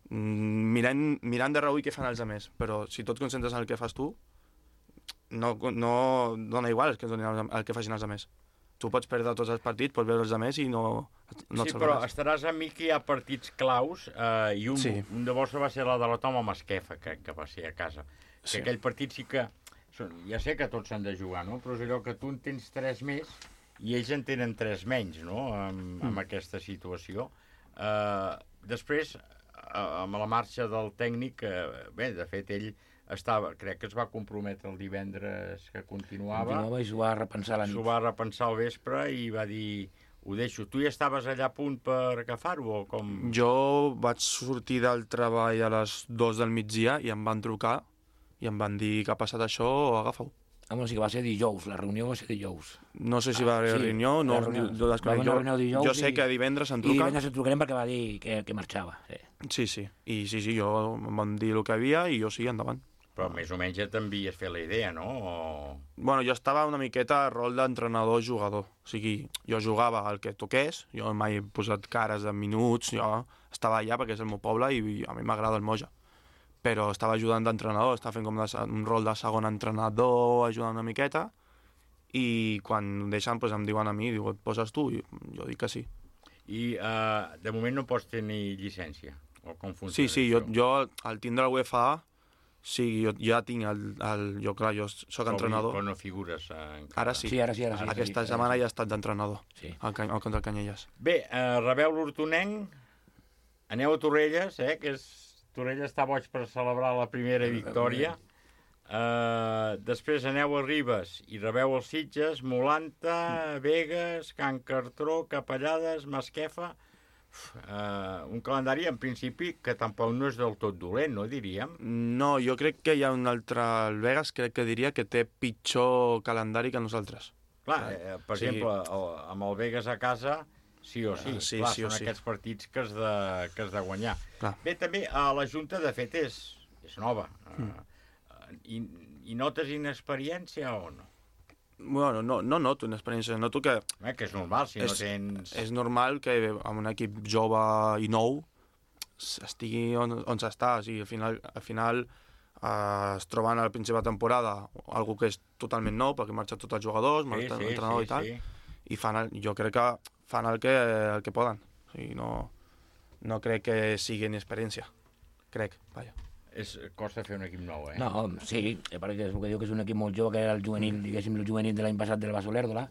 mm, mirant, mirant de reüll què fan els altres, però si tu et concentres en el que fas tu, no, no dona igual el que, donin els- el que facin els altres. Tu pots perdre tots els partits, pots veure els altres i no, no sí, et però salvaràs. estaràs amb mi que hi ha partits claus eh, i un, Sí. un de vostre va ser la derrota amb el Masquefa, que, que va ser a casa. Que Sí. aquell partit sí que... són- Ja sé que tots s'han de jugar, no? Però és allò que tu en tens tres més i ells en tenen tres menys, no? Amb, amb Mm. aquesta situació. Eh, després, amb la marxa del tècnic, bé, de fet, ell estava, crec que es va comprometre el divendres que continuava. Continuava i s'ho va repensar a la nit. S'ho va repensar al vespre i va dir, ho deixo. Tu ja estaves allà a punt per agafar-ho o com? Jo vaig sortir del treball a les dues del migdia i em van trucar i em van dir que ha passat això o agafa-ho. Ah, bueno, sí que va ser dijous, la reunió va ser dijous. No sé si va haver sí, reunió, no, la reunió. jo, Va haver una reunió dijous jo sé i- que divendres em I truca. divendres et trucarem perquè va dir que, que marxava. Sí. Sí, sí, i sí, sí, jo em van dir el que havia i jo sí, endavant. Però més o menys ja t'envies fer la idea, no? O... Bueno, jo estava una miqueta a rol d'entrenador-jugador. O sigui, jo jugava el que toqués, jo mai he posat cares de minuts, jo estava allà perquè és el meu poble i a mi m'agrada el Moja. Però estava ajudant d'entrenador, estava fent com de, un rol de segon entrenador, ajudant una miqueta, i quan em deixen doncs em diuen a mi, diu, et poses tu? I jo dic que sí. I uh, de moment no pots tenir llicència? O com funciona? Sí, sí, jo, jo al tindre la UEFA A, sí, jo ja tinc el, el jo clar, jo soc Però, entrenador. Però no figures eh, encara. Ara sí. Sí, ara sí, ara sí. Aquesta sí, setmana sí. ja he estat d'entrenador, sí. al, al contra el Canyelles. Bé, uh, rebeu l'Hortonenc, aneu a Torrelles, eh, que és... Torrelles està boig per celebrar la primera victòria. Uh, després aneu a Ribes i rebeu els Sitges, Molanta, Begues, Can Cartró, Capellades, Masquefa. Uf, uh, un calendari, en principi, que tampoc no és del tot dolent, no diríem? No, jo crec que hi ha un altre... El Vegas crec que diria que té pitjor calendari que nosaltres. Clar, eh, per Sí. exemple, el, amb el Vegas a casa, sí o sí. Ah, sí, Clar, sí o són sí. aquests partits que has de, que has de guanyar. Clar. Bé, també, a la Junta, de fet, és, és nova. Mm. Uh, i, I notes inexperiència o no? Bueno, no, no noto una experiència, noto que... Eh, que és normal, si és, no tens... És normal que amb un equip jove i nou estigui on, on s'està. O sigui, al final, al final eh, es troben al principi de temporada algú que és totalment nou, perquè marxa tots els jugadors, Sí, marxa sí, l'entrenador sí, i tal, sí. i fan el, jo crec que fan el que, el que poden. O sigui, no, no crec que sigui ni experiència. Crec, vaja. És, costa fer un equip nou, eh? No, sí, perquè és el que diu que és un equip molt jove, que era el juvenil, diguéssim, el juvenil de l'any passat del Basolèrdola,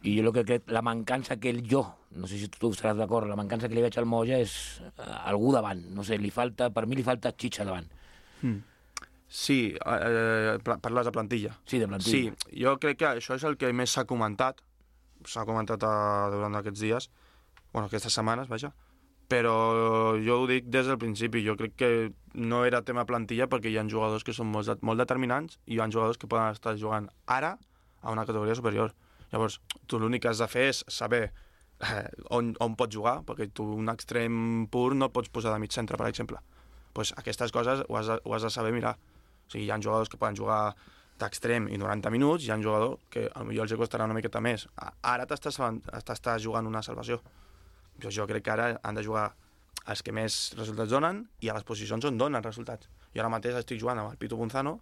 i jo el que crec, la mancança que ell, jo, no sé si tu estaràs d'acord, la mancança que li veig al Moja és uh, algú davant, no sé, li falta, per mi li falta xitxa davant. Mm. Sí, eh, parles de plantilla. Sí, de plantilla. Sí, jo crec que això és el que més s'ha comentat, s'ha comentat uh, durant aquests dies, bueno, aquestes setmanes, vaja, però jo ho dic des del principi, jo crec que no era tema plantilla perquè hi ha jugadors que són molt, molt determinants i hi ha jugadors que poden estar jugant ara a una categoria superior. Llavors, tu l'únic que has de fer és saber eh, on, on pots jugar, perquè tu un extrem pur no pots posar de mig centre, per exemple. Pues aquestes coses ho has, de, ho has de saber mirar. O sigui, hi ha jugadors que poden jugar d'extrem i noranta minuts, hi ha jugadors que potser els costarà una miqueta més. Ara t'estàs jugant una salvació. Jo, jo crec que ara han de jugar els que més resultats donen i a les posicions on donen resultats. Jo ara mateix estic jugant amb el Pitu Bonzano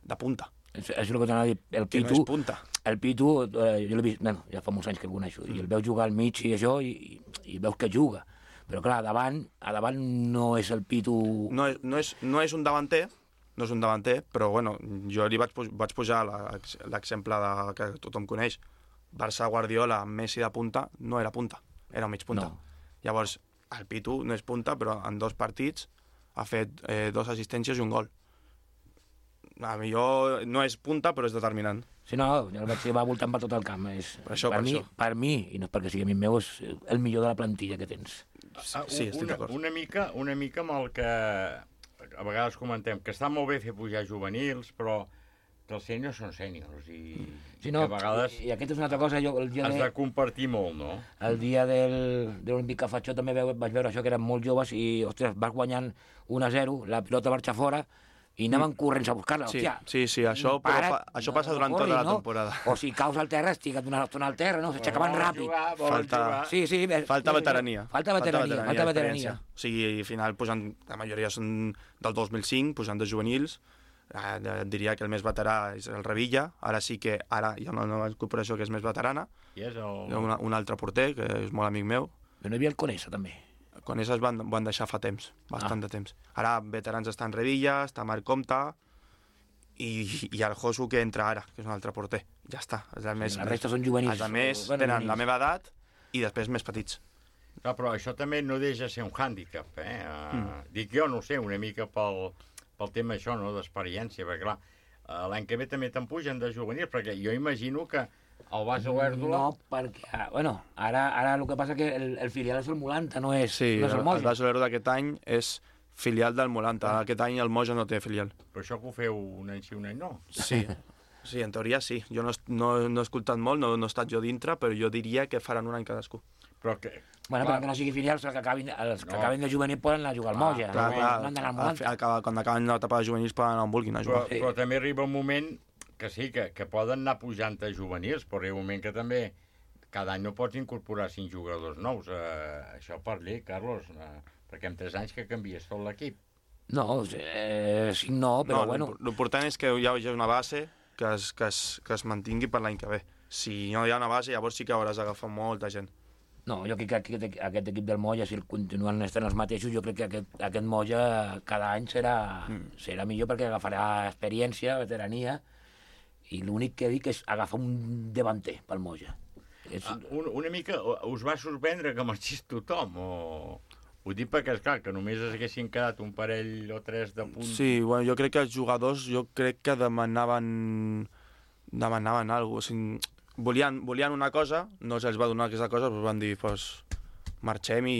de punta. És, és el que t'anava a dir. El Que Pitu, no és punta. El Pitu, eh, jo l'he vist, bueno, ja fa molts anys que el coneixo, mm. i el veus jugar al mig i això, i, i, i veus que juga. Però clar, a davant, a davant no és el Pitu... No és, no és, no és un davanter, no és un davanter, però bueno, jo li vaig, vaig pujar l'exemple de, que tothom coneix. Barça-Guardiola amb Messi de punta no era punta, era un mig punta. No. Llavors, el Pitu no és punta, però en dos partits ha fet eh, dos assistències i un gol. A millor no és punta, però és determinant. Sí, no, jo el vaig va voltant per tot el camp. És, per això, per, per mi, això. Per mi, i no és perquè sigui amic meu, és el millor de la plantilla que tens. Ah, sí, estic una, d'acord. una, mica, una mica amb el que a vegades comentem, que està molt bé fer pujar juvenils, però que els sèniors són sèniors i sí, no, que a vegades i, i aquesta és una altra cosa. Jo, el dia has de, de compartir molt, no? El dia del, de l'Olímpic que faig jo també veu, vaig veure això, que eren molt joves i, ostres, vas guanyant un a zero, la pilota marxa fora i anaven mm. corrents a buscar-la. Sí, hòstia, sí, sí, això, para, però pa, això passa durant no corris, tota la no? temporada. O si caus al terra, estigues una estona al terra, no? S'aixecaven ràpid. Jugar, falta, sí, sí, falta veterania. Falta veterania, falta veterania. O sigui, al final, posant, la majoria són del dos mil cinc, posant de juvenils, eh, diria que el més veterà és el Revilla, ara sí que ara hi ha una nova incorporació que és més veterana, I és el... hi ha una, un altre porter, que és molt amic meu. Però no hi havia el Conesa, també. Conesa es van, van deixar fa temps, bastant ah. de temps. Ara veterans estan Revilla, està Marc Comte, i, i el Josu que entra ara, que és un altre porter. Ja està. Els Sí, més, la resta són juvenils. Els més Bueno, tenen juvenils. la meva edat i després més petits. No, però això també no deixa ser un hàndicap, eh? Uh, Mm. Dic jo, no ho sé, una mica pel, pel tema això, no?, d'experiència, perquè clar, uh, l'any que ve també te'n pugen de juvenils, perquè jo imagino que el Base Olèrdola... No, perquè, ah, bueno, ara, ara el que passa que el, el filial és el Molanta, no és, Sí, no és el el Moja. Base Olèrdola d'aquest any és filial del Molanta. Aquest any el Moja no té filial. Però això que ho feu un any sí, un any no. Sí, sí, en teoria sí. Jo no, no, no he escoltat molt, no, no he estat jo dintre, però jo diria que faran un any cadascú. Però que... Bueno, però que no sigui filials, els que acabin, els que No. acaben de juvenil poden anar a jugar al Moja. Clar, no, clar, no han d'anar al al Molanta. fi- acaba- quan acaben l'etapa de juvenils poden anar on vulguin a Però, jugar. però també arriba un moment que sí, que, que poden anar pujant a juvenils, però arriba un moment que també cada any no pots incorporar cinc jugadors nous. Eh, això per llei, Carlos, eh, perquè en tres anys que canvies tot l'equip. No, eh, sí, no, però no, bueno... L'important és que hi hagi una base que es, que es, que es mantingui per l'any que ve. Si no hi ha una base, llavors sí que hauràs d'agafar molta gent. No, jo crec que aquest, aquest equip del Moja, si el continuen estant els mateixos, jo crec que aquest, aquest Moja cada any serà, mm. serà millor perquè agafarà experiència, veterania, i l'únic que dic és agafar un davanter pel Moja. És... Ah, un, una mica us va sorprendre que marxés tothom, o... Ho dic perquè, esclar, que només es haguessin quedat un parell o tres de punts. Sí, bueno, jo crec que els jugadors jo crec que demanaven demanaven alguna cosa. O sigui, volien, volien una cosa, no se'ls va donar aquesta cosa, però van dir, pues, marxem i,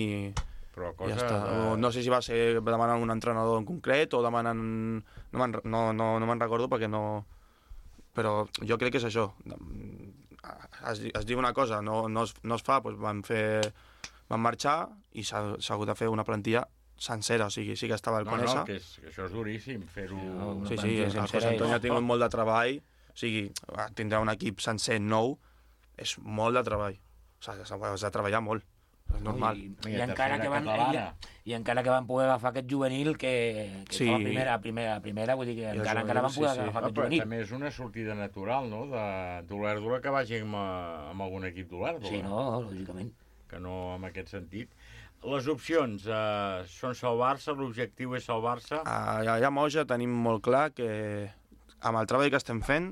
però i ja està. O no sé si va ser demanant un entrenador en concret o demanant... No me'n no, no, no me'n recordo perquè no... Però jo crec que és això. Es, es diu una cosa, no, no, es, no es fa, doncs van fer... Van marxar i s'ha hagut de fer una plantilla sencera, o sigui, sí que estava el no, Conesa. No, que, és, que això és duríssim, fer-ho... Sí, sí, el José Antonio ha tingut molt de treball, o sigui, tindrà un equip sencer nou, és molt de treball. O sigui, has de treballar molt, és normal. I, i, encara que van, i, I encara que van poder agafar aquest juvenil que, que Sí. estava a primera, a primera, a primera, vull dir que encara, encara van poder sí, sí. agafar No, aquest però juvenil. també és una sortida natural, no?, de d'Olèrdola, que vagi amb, eh, amb algun equip d'Olèrdola. Sí, no, lògicament. Que no en aquest sentit. Les opcions eh, són salvar-se, l'objectiu és salvar-se. Allà a Moja tenim molt clar que amb el treball que estem fent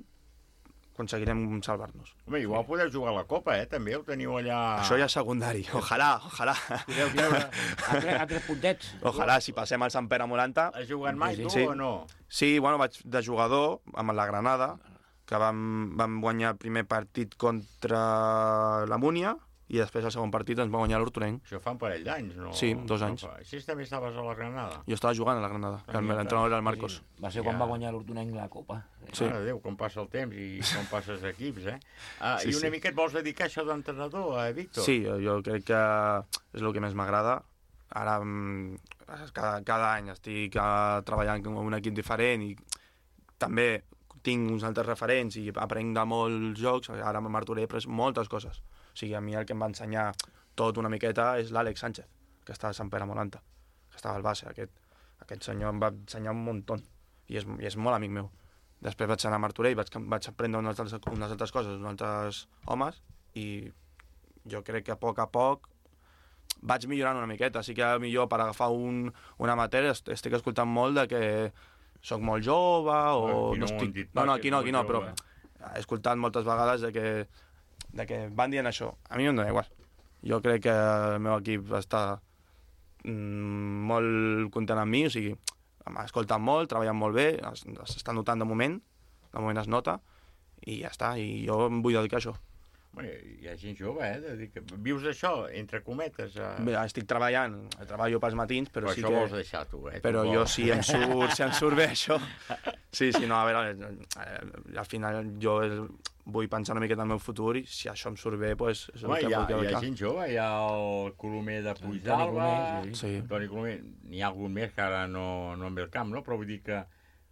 aconseguirem salvar-nos. Home, igual podeu jugar a la Copa, eh? També ho teniu allà... Això ja és secundari, ojalà, ojalà. Podeu treure... A tres, a tres puntets. Ojalà, si passem al Sant Pere Molanta... Has jugat mai, tu, sí. o no? Sí, bueno, vaig de jugador amb la Granada, que vam, vam guanyar el primer partit contra la Múnia, i després el segon partit ens va guanyar l'Hortonenc. Això fa un parell d'anys, no? Sí, dos anys. No fa... Així també estaves a la Granada? Jo estava jugant a la Granada, que l'entrenador era el Marcos. Sí, va ser quan Ja. va guanyar l'Hortonenc la Copa. Sí. Mare de Déu, com passa el temps i com passes equips, eh? Ah, Sí, I una sí. mica et vols dedicar a això d'entrenador, eh, Víctor? Sí, jo crec que és el que més m'agrada. Ara, mm, cada, cada any estic eh, treballant amb un equip diferent i també tinc uns altres referents i aprenc de molts jocs. Ara amb Martorell he après moltes coses. O sigui, a mi el que em va ensenyar tot una miqueta és l'Àlex Sánchez, que està a Sant Pere Molanta, que estava al base. Aquest, aquest senyor em va ensenyar un muntó i és, i és molt amic meu. Després vaig anar a Martorell, vaig, vaig aprendre unes altres, unes altres coses, uns altres homes, i jo crec que a poc a poc vaig millorant una miqueta. Sí que millor per agafar un, una matèria estic escoltant molt de que sóc molt jove o Aquí no no ho han estic... dit No, pas, no, que aquí no, ets aquí no, molt però jove. he escoltat moltes vegades de que, de que van dient això. A mi no em dona igual. Jo crec que el meu equip està mm, molt content amb mi, o sigui, m'ha escoltat molt, treballant molt bé, s'està notant de moment, de moment es nota, i ja està, i jo em vull dedicar a això. Bueno, hi ha gent jove, eh? De dir que vius això, entre cometes. A... Bé, estic treballant, treballo pels matins, però, Però sí això que... vols deixar, tu, eh? Tu Però vols. jo, si em surt, si em surt bé això... Sí, sí, no, a veure, eh, al final jo vull pensar una miqueta en el meu futur i si això em surt bé, doncs és el Home, que hi ha, vull hi ha dedicar. gent jove, hi ha el Colomer de Puigdalba, sí. Sí. Toni Colomer, n'hi ha algun més que ara no, no em ve al camp, no? Però vull dir que,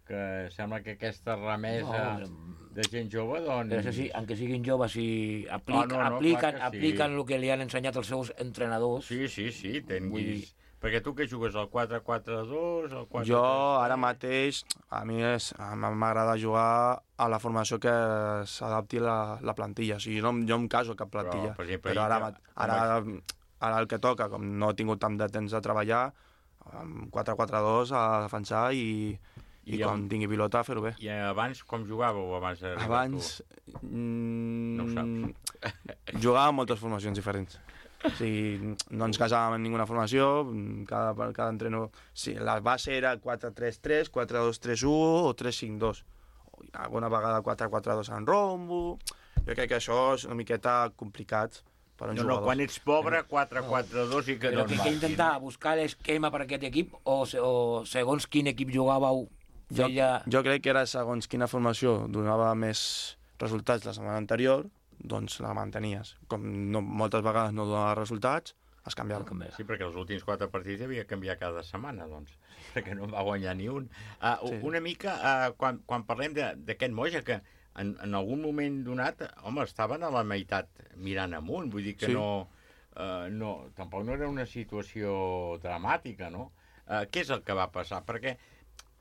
que sembla que aquesta remesa No, de gent jove, doncs... Però això sí, aunque siguin joves, si aplic, Ah, no, no, apliquen, clar que sí. apliquen el que li han ensenyat els seus entrenadors. Sí, sí, sí, Vull tinguis... Perquè tu que jugues al quatre quatre dos, al quatre... Jo ara mateix, a mi és- a mi m'agrada jugar a la formació que s'adapti la, la plantilla. O sigui, jo, no, jo em caso a cap plantilla. Però, per exemple, Però ara, ahir ma- que- ara, ara el que toca, com no he tingut tant de temps de treballar, amb quatre quatre dos a defensar i, I, I quan tingui pilota, fer-ho bé. I abans com jugàveu abans d'arribar Abans... Mm, no ho saps. Jugàvem moltes formacions diferents. O sigui, no ens casàvem en ninguna formació, cada, cada entreno... Sí, la base era quatre tres tres, quatre dos tres u o tres cinc dos. Alguna vegada quatre quatre dos en rombo... Jo crec que això és una miqueta complicat per un no, jugador. No, quan ets pobre, quatre quatre dos i que Però no que, que intentar buscar l'esquema per aquest equip o, o segons quin equip jugàveu feia... Jo, jo crec que era segons quina formació donava més resultats la setmana anterior, doncs la mantenies. Com no, moltes vegades no donava resultats, es canviava. Sí, perquè els últims quatre partits havia de canviar cada setmana, doncs, perquè no va guanyar ni un. Uh, sí. Una mica, uh, quan, quan parlem d'aquest Moja, que en, en algun moment donat, home, estaven a la meitat mirant amunt, vull dir que Sí. no, uh, no... Tampoc no era una situació dramàtica, no? Uh, què és el que va passar? Perquè,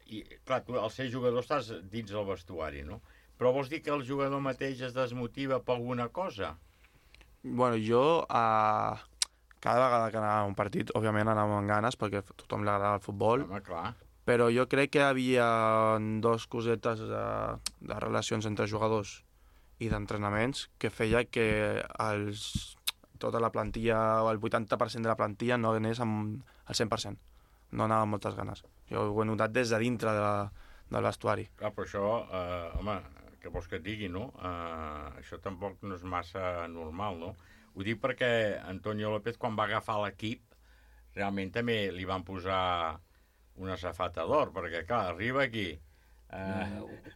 i, clar, tu al ser jugador estàs dins del vestuari, no? Però vols dir que el jugador mateix es desmotiva per alguna cosa? Bueno, jo, uh, cada vegada que anava a un partit, òbviament anava amb ganes, perquè a tothom li agrada el futbol. Home, clar. Però jo crec que hi havia dos cosetes de, de relacions entre jugadors i d'entrenaments que feia que els, tota la plantilla, o el vuitanta per cent de la plantilla no anés amb el cent per cent. No anava amb moltes ganes. Jo ho he notat des de dintre de la, del vestuari. Clar, però això, eh, home, què vols que et digui, no? Eh, això tampoc no és massa normal, no? Ho dic perquè Antonio López, quan va agafar l'equip, realment també li van posar una safata d'or, perquè, clar, arriba aquí... Eh,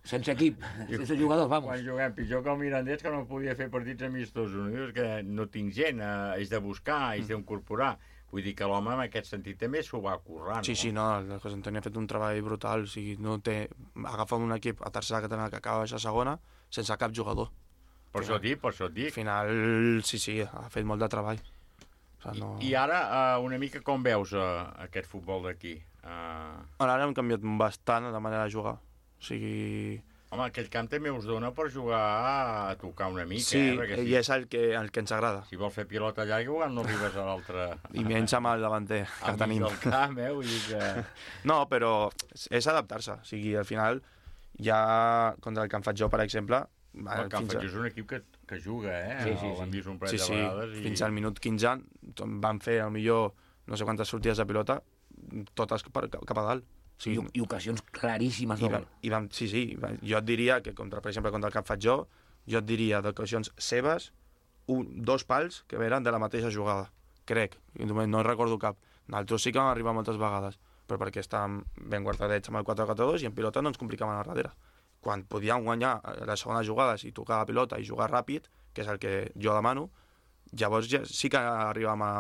sense equip, sense jugadors, vamos. Quan juguem pitjor que el Mirandés, que no podia fer partits amistosos, no? Dius que no tinc gent, eh, és de buscar, és d'incorporar. Vull dir que l'home en aquest sentit també s'ho va currar, no? Sí, sí, no, el José Antonio ha fet un treball brutal, o sigui, no té... Agafa un equip a tercera catalana que acaba de baixar a segona sense cap jugador. Per això et dic, per això et dic. Al final, sí, sí, ha fet molt de treball. O sigui, no... I ara, uh, una mica com veus uh, aquest futbol d'aquí? Uh... Ara hem canviat bastant la manera de jugar. O sigui... Home, aquell camp també us dona per jugar a tocar una mica, sí, eh? Perquè i és el que, el que ens agrada. Si vols fer pilota llarga, igual no arribes a l'altre... I menys amb el davanter que Al mig tenim. del camp, eh? Vull dir que... No, però és adaptar-se. O sigui, al final, ja contra el Can Fatjó, per exemple... El Can Fatjó és un equip que, que juga, eh? Sí, sí, sí. L'hem vist un parell sí, de sí. vegades. I... Fins al minut quinze van fer, millor no sé quantes sortides de pilota, totes cap, cap a dalt. Sí, I, I ocasions claríssimes de gol. I vam, sí, sí, jo et diria que, contra, per exemple, contra el Can Fatjó, jo et diria d'ocasions seves, un, dos pals que eren de la mateixa jugada, crec, no recordo cap. Nosaltres sí que vam arribar moltes vegades, però perquè estàvem ben guardadets amb el quatre quatre dos i en pilota no ens complicaven a darrere. Quan podíem guanyar les segones jugades i tocar la pilota i jugar ràpid, que és el que jo demano, llavors ja sí que arribàvem a,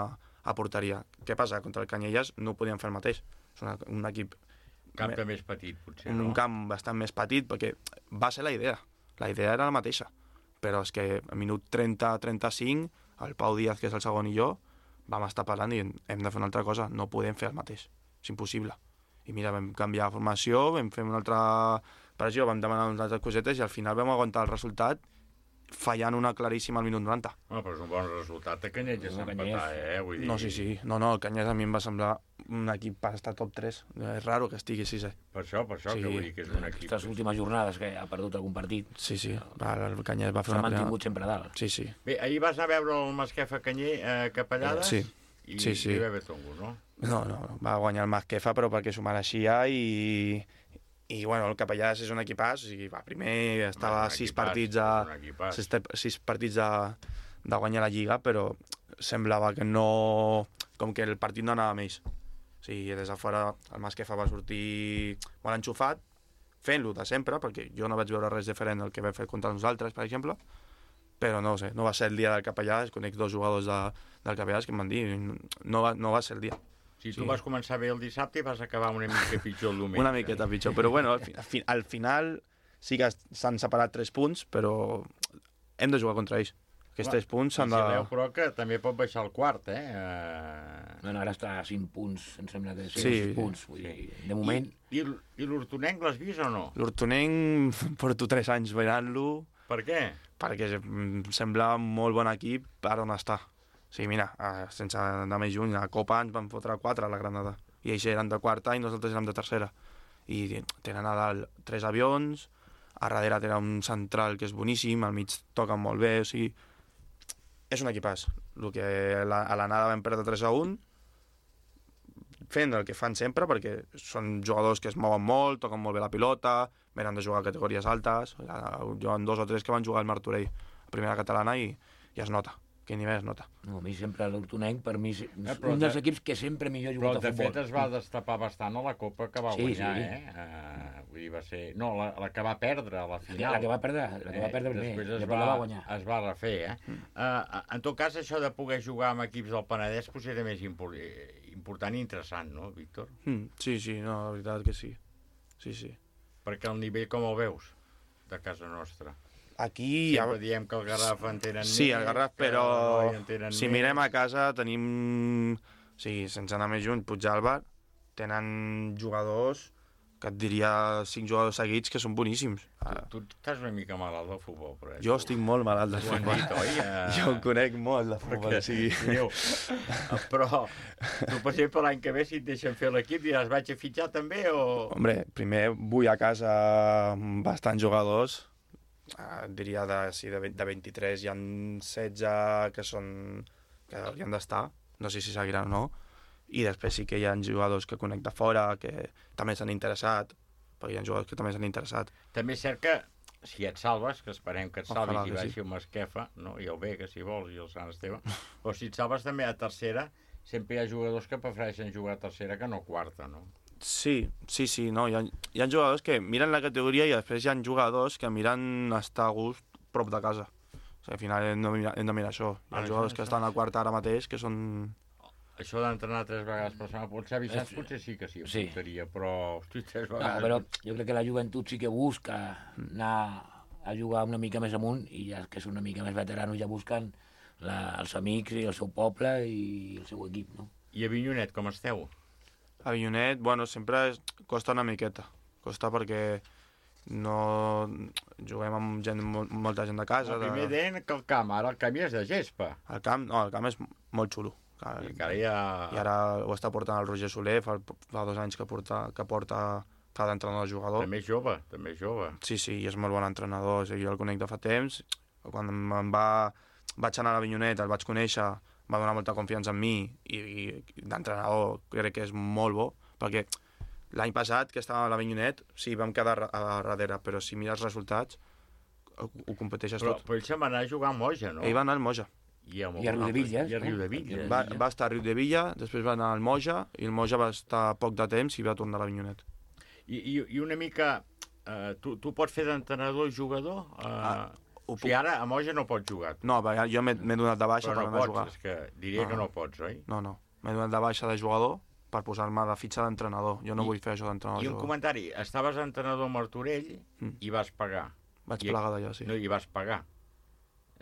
a porteria. Què passa? Contra el Canyelles no podíem fer el mateix. És una, un equip... Camp de més petit, potser, un no? Un camp bastant més petit, perquè va ser la idea. La idea era la mateixa. Però és que a minut trenta trenta-cinc, el Pau Díaz, que és el segon, i jo, vam estar parlant i hem de fer una altra cosa. No podem fer el mateix. És impossible. I mira, vam canviar la formació, vam fer una altra pressió, vam demanar unes altres cosetes i al final vam aguantar el resultat fallant una claríssima al minut noranta. No, però és un bon resultat de Canyelles ja s'empatar, eh? Vull dir... No, sí, sí. No, no, el Canyelles a mi em va semblar un equip per estar top tres. És raro que estigui sisè. Per això, per això, sí. Que vull dir que és un equip... Aquestes últimes jornades que ha perdut algun partit. Sí, sí. Va, el Canyelles va fer una... S'ha mantingut primera... sempre dalt. Sí, sí. Bé, ahir vas anar a veure el Masquefa Canyer eh, Capellades? Sí. I, sí, sí. I va bé tongo, no? No, no, va guanyar el Masquefa, però perquè s'ho mereixia i... I, bueno, el Capellades és un equipàs, o sigui, va, primer estava a sis partits, a, sis, sis partits de, de guanyar la Lliga, però semblava que no... com que el partit no anava amb ells. O sigui, des de fora el Masquefa va sortir molt enxufat, fent-lo de sempre, perquè jo no vaig veure res diferent del que vam fer contra nosaltres, per exemple, però no sé, no va ser el dia del Capellades, conec dos jugadors de, del Capellades que em van dir, no va, no va ser el dia. Si tu sí. vas començar bé el dissabte i vas acabar una mica pitjor el diumenge. Una miqueta pitjor, però bueno, al, fi, al final sí que s'han separat tres punts, però hem de jugar contra ells. Aquests tres punts s'han de... Si veu, però que també pot baixar el quart, eh? Uh... No, no, ara està a cinc punts, em sembla que sí, sí. sis punts. Vull dir, de moment... I, i, i l'Hortonenc l'has vist o no? L'Hortonenc porto tres anys veient-lo. Per què? Perquè sembla un molt bon equip per on està. Sí, mira, sense anar més lluny, a Copa ens van fotre quatre a la Granada. I ells eren de quarta i nosaltres érem de tercera. i tenen a dalt tres avions, a darrere tenen un central que és boníssim, al mig toquen molt bé, o sigui, és un equipàs. El que a l'anada vam perdre tres a un, fent el que fan sempre, perquè són jugadors que es mouen molt, toquen molt bé la pilota, venen de jugar a categories altes, hi ha dos o tres que van jugar al Martorell, a primera catalana, i, i es nota. Que nivell es nota. No, a mi sempre l'Hortonenc, per mi, és Eh, un però dels de- equips que sempre millor ha Però, jugat a de futbol. fet, es va destapar bastant a la Copa que va Sí, guanyar, sí. eh? Uh, vull dir, va ser... No, la, la que va perdre a la final. La que va perdre, la que va perdre primer, Després es després la va, va guanyar. es va refer, eh? Mm. Uh, en tot cas, això de poder jugar amb equips del Penedès potser era més impor important i interessant, no, Víctor? Mm, sí, sí, no, la veritat que sí. Sí, sí. Perquè el nivell com el veus, de casa nostra? Aquí... Sempre diem que el Garraf en tenen Sí, més, el Garraf, que però el Noi en tenen si més. mirem a casa tenim, o sigui, sense anar més lluny, Puigdàlber, tenen jugadors que et diria cinc jugadors seguits que són boníssims. Tu, tu estàs una mica malalt del futbol, però... Eh? Jo estic molt malalt de Ho han futbol. dit, oi? Uh... Jo en conec molt de futbol, Perquè, o sigui... Diu, però tu, per exemple, l'any que ve, si et deixen fer l'equip, diràs, vaig a fitxar també o...? Hombre, primer vull a casa bastants jugadors, eh, diria de, sí, de, de vint-i-tres hi ha setze que són que haurien d'estar, no sé si seguiran o no, i després sí que hi ha jugadors que conec de fora, que també s'han interessat, perquè hi ha jugadors que també s'han interessat. També és cert que si et salves, que esperem que et salvis Ojalà i que baixi sí. amb Masquefa, no? I el Vega, si vols, i el Sant Esteve, però si et salves també a tercera, sempre hi ha jugadors que prefereixen jugar a tercera que no a quarta, no? Sí, sí, sí, no, hi ha, hi ha jugadors que miren la categoria i després hi ha jugadors que miren estar a gust prop de casa. O sigui, al final hem de mirar, hem de mirar això. Hi ha Ah, jugadors això, que això. estan a quarta ara mateix que són... Això d'entrenar tres vegades per setmana, potser Vicenç potser sí que sí, Sí. apuntaria, però hosti, tres No, vegades... però jo crec que la joventut sí que busca anar a jugar una mica més amunt i ja que són una mica més veteranos ja busquen la, els amics i el seu poble i el seu equip, no? I a Vinyonet, com esteu? A Vinyonet, bueno, sempre és, costa una miqueta. Costa perquè no juguem amb gent, mol, molta gent de casa. El primer de... deien que el camp, ara el camp ja és de gespa. El camp, no, el camp és molt xulo. I encara hi ha... I ara ho està portant el Roger Soler, fa, fa dos anys que porta, que porta fa d'entrenador jugador. També és jove, també és jove. Sí, sí, i és molt bon entrenador, o sigui, jo el conec de fa temps. Quan em va... vaig anar a l'Avinyonet, el vaig conèixer, va donar molta confiança en mi i, i d'entrenador crec que és molt bo, perquè l'any passat que estàvem a l'Avinyonet, sí, vam quedar a, a darrere, però si mires els resultats ho, ho competeixes però, tot. Però ell se'n va anar a jugar a Moja, no? Ell va anar al Moja. I a, I a Riudevilles, I a Riudevilles. Va, va estar a Riudevilles, després va anar al Moja, i el Moja va estar poc de temps i va tornar a l'Avinyonet. I, i, I una mica... Uh, tu, tu pots fer d'entrenador i jugador? Uh, Ah, o sigui, ara a Moja no pots jugar. No, perquè jo m'he donat de baixa Però per no anar pots, a jugar. és que diria No, que no. no pots, oi? No, no. M'he donat de baixa de jugador per posar-me a la fitxa d'entrenador. Jo no I- vull fer això d'entrenador. I un jugador. comentari, estaves entrenador a Martorell Mm. i vas pagar. Vaig I, plegar d'allà, sí. No, i vas pagar.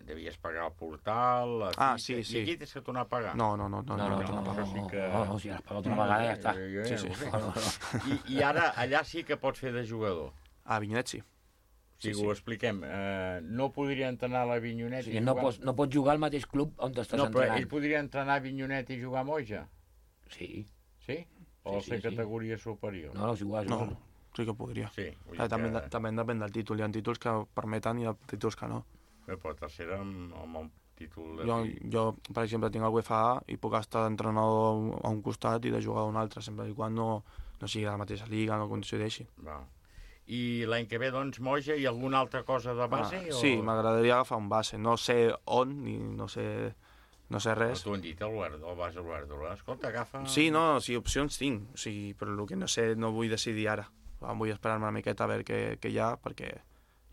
Devies pagar el portal, la Ah, fitxa, sí, sí. i aquí tens que tornar a pagar. No, no, no. no, No, no, no, no, no, no, sí que- no, no, si has pagat una vegada ja està. Jo, jo, Sí, ja sí. ho sé. No, no, no. I, I ara, allà sí que pots fer de jugador. A Vinyonet sí. O sigui, Sí, sí. ho expliquem. Uh, no podria entrenar a la Vinyonet O sigui, i no jugar... pots, no pots jugar al mateix club on t'estàs No, però entrenant. ell podria entrenar a Vinyonet i jugar a Moja? Sí. Sí? O Sí, ser sí, sí. categoria superior? No, no, és igual, és No, igual. sí que podria. Sí, vull Eh, dir també, que... també depèn del títol. Hi ha títols que permeten i hi ha títols que no. Bé, però tercera amb, amb el títol de... Jo, jo, per exemple, tinc el U F A i puc estar d'entrenador a un costat i de jugar a un altre, sempre i quan no, no sigui de la mateixa lliga, no coincideixi. Va. I l'any que ve, doncs, Moja i alguna altra cosa de base? Ah, o... sí, m'agradaria agafar un base. No sé on, ni no sé, no sé Però res. t'ho han dit, el, Guard- el base Guardiola. Escolta, agafa... Sí, no, sí, opcions tinc, o sigui, però el que no sé no vull decidir ara. Vull esperar-me una miqueta a veure què, què hi ha, perquè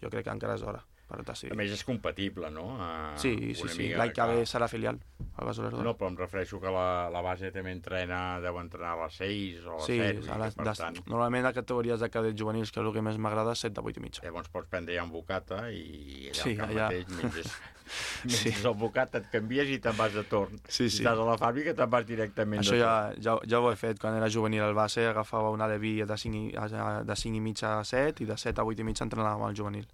jo crec que encara és d'hora per decidir. A més, és compatible, no? A... Sí, sí, una sí, mica, l'any que ve clar. serà filial, al Base Olerdós. No, però em refereixo que la, la base també entrena, deu entrenar a les seis o a les Sí, set, a les, per des, tant, normalment a categories de cadets juvenils, que és el que més m'agrada, set de vuit i mitja. llavors pots prendre ja un bocata i allà Sí, al camp allà. mateix menges, menges Sí. el bocata, et canvies i te'n vas de torn. Sí, Si sí. estàs a la fàbrica te'n vas directament Això de ja, torn. ja, ja ho he fet, quan era juvenil al base agafava una de vi de cinc, i, de cinc i mitja a set i de set a vuit i mitja entrenàvem al juvenil.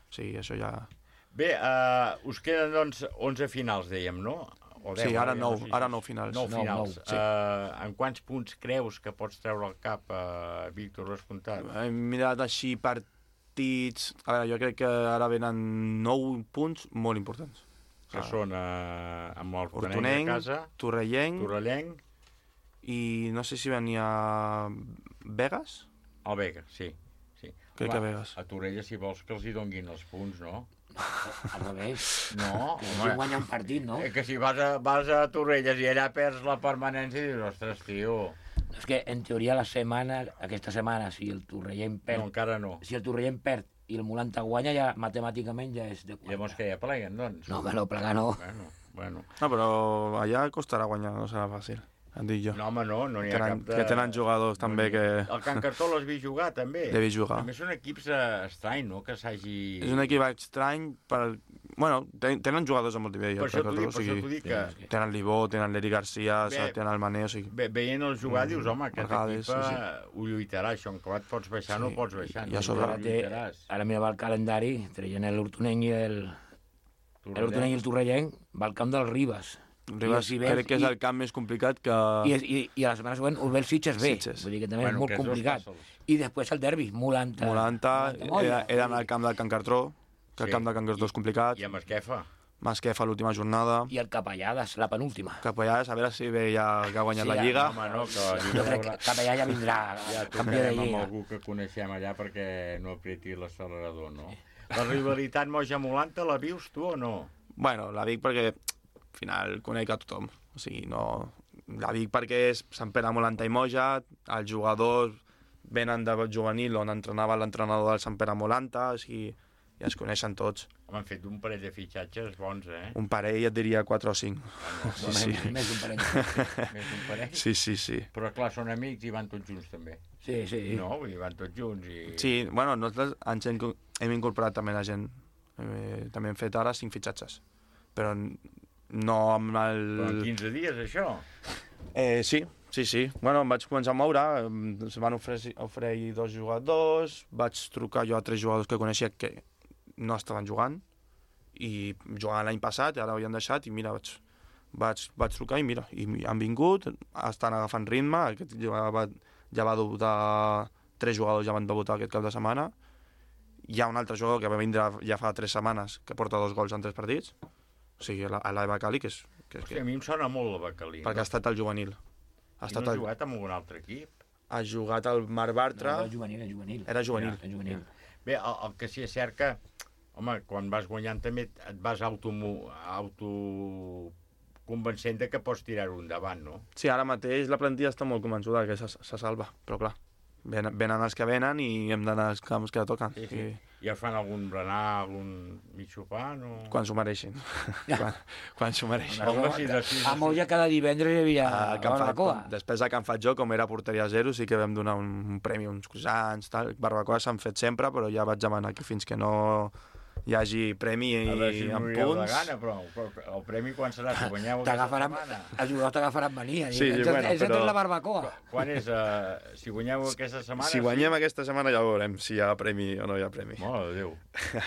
O sigui, això ja... Bé, uh, us queden doncs onze finals, dèiem, no? o deu. Sí, ara ja nou, no sé si ara és- nou finals. Nou Nou, finals. nou, sí. Eh, en quants punts creus que pots treure al cap, uh, Víctor Vescomptat? Hem mirat així partits... A veure, jo crec que ara venen nou punts molt importants. Que són uh, amb el Hortonenc a Hortonenc, casa, Torrellenc, Torrellenc, i no sé si venia Vegas? el Vega, sí. sí. Crec que Vegas. A Torella, si vols que els hi donguin els punts, no? Al revés. No, Que hagi guanyat un partit, no? Eh, que si vas a, vas a Torrelles i allà perds la permanència i dius, ostres, tio... És que, en teoria, la setmana, aquesta setmana, si el Torrellent perd... No, encara no. Si el Torrellent perd i el Molanta guanya, ja matemàticament ja és de quatre. Llavors que ja pleguen, doncs? No, que no, plegar no. Bueno, bueno. No, però allà costarà guanyar, no serà fàcil, et dic jo. No, home, no, no n'hi ha tenen, cap de... Que tenen jugadors també que... El Can Cartó l'has vist jugar, també? L'he vist jugar. També són equips eh, estrany, no?, que s'hagi... És un equip estrany per... Bueno, ten- tenen jugadors a molt nivell. Per el això t'ho Cartó, dic, per això t'ho dic que- Tenen l'Ibó, tenen l'Eri Garcia, Bé, tenen el Mané, o sigui... Ve, veient el jugar, dius, home, aquest Vegades, equip sí, eh, ho lluitarà, això, en acabat pots baixar, no pots baixar. I a no sobre- ho lluitaràs. Ara mirava el calendari, traient l'Hortonenc i el... L'Hortonenc i el Torrellenc, va al camp del Ribas. Ribas I els crec que és el camp més complicat que... I, i, i a la setmana següent ho ve el Sitges B, Sitges. vull dir que també Bueno, és molt que és dos complicat. fàcils. I després el derbi, Molanta. Molanta, Molla. era, era al camp del Can Cartró, que el Sí. camp del Can Cartró és complicat. I a Masquefa. Masquefa l'última jornada. I el Capellades, la penúltima. Capellades, a veure si ve ja que ha guanyat Sí, la Lliga. Home, no, que la Jo Lliga crec que veurà- Capellà ja vindrà, Ja campió de trucarem amb Lliga. algú que coneixem allà perquè no apreti l'accelerador, no? La rivalitat Moja-Molanta la vius tu o no? Bueno, la dic perquè al final conec a tothom. O sigui, no... La dic perquè és Sant Pere, Molanta i Moja, els jugadors venen de juvenil on entrenava l'entrenador del Sant Pere Molanta, o sigui, ja es coneixen tots. Home, han fet un parell de fitxatges bons, eh? Un parell et diria quatre o cinc. Sí, sí. Més d'un parell. Més d'un parell? Sí, sí, sí. Però clar, són amics i van tots junts també. Sí, sí. No, vull dir, van tots junts i... Sí, bueno, nosaltres ens hem, hem incorporat també la gent. Eh, també hem fet ara cinc fitxatges. Però no amb el... Però en quinze dies, això? Eh, sí, sí, sí. Bueno, em vaig començar a moure, em van oferir, oferir dos jugadors, vaig trucar jo a tres jugadors que coneixia que no estaven jugant, i jugaven l'any passat, i ara ho havien deixat, i mira, vaig, vaig, vaig trucar i mira, i han vingut, estan agafant ritme, aquest ja va, ja va debutar, tres jugadors ja van debutar aquest cap de setmana, hi ha un altre jugador que va vindre ja fa tres setmanes, que porta dos gols en tres partits, o sigui, a l'Eva Cali, que és... Que és Hòstia, a mi em sona molt el Bacalí. perquè ha estat al juvenil. Ha I estat no ha al- jugat amb algun altre equip? ha jugat al Mar Bartra... No, era juvenil, era juvenil. Era juvenil. Era juvenil. Bé, el, el que sí és cert que, home, quan vas guanyant també et vas auto, auto convencent de que pots tirar-ho endavant, no? Sí, ara mateix la plantilla està molt convençuda que se, se salva, però clar, venen, venen els que venen i hem d'anar als camps que toquen. Sí, sí. I ja fan algun berenar, algun mig sopar, no? I quan s'ho mereixin. quan quan s'ho mereixin. Home, sí, de sis a A Moja cada divendres hi havia Ah, que han fet, barbacoa. com, després de que han fet jo, com era porteria zero, sí que vam donar un, un premi, uns croissants, tal. Barbacoa s'han fet sempre, però ja vaig demanar que fins que no hi hagi premi A veure si amb morireu de punts... gana, però però el premi quan serà? Si guanyeu aquesta T'agafaran, setmana? els jugadors t'agafaran mania. Sí, sí, ens, bueno, ens però- la barbacoa. Quan és? Uh, si guanyeu aquesta setmana... Si guanyem aquesta setmana ja veurem si hi ha premi o no hi ha premi. Mare de Déu.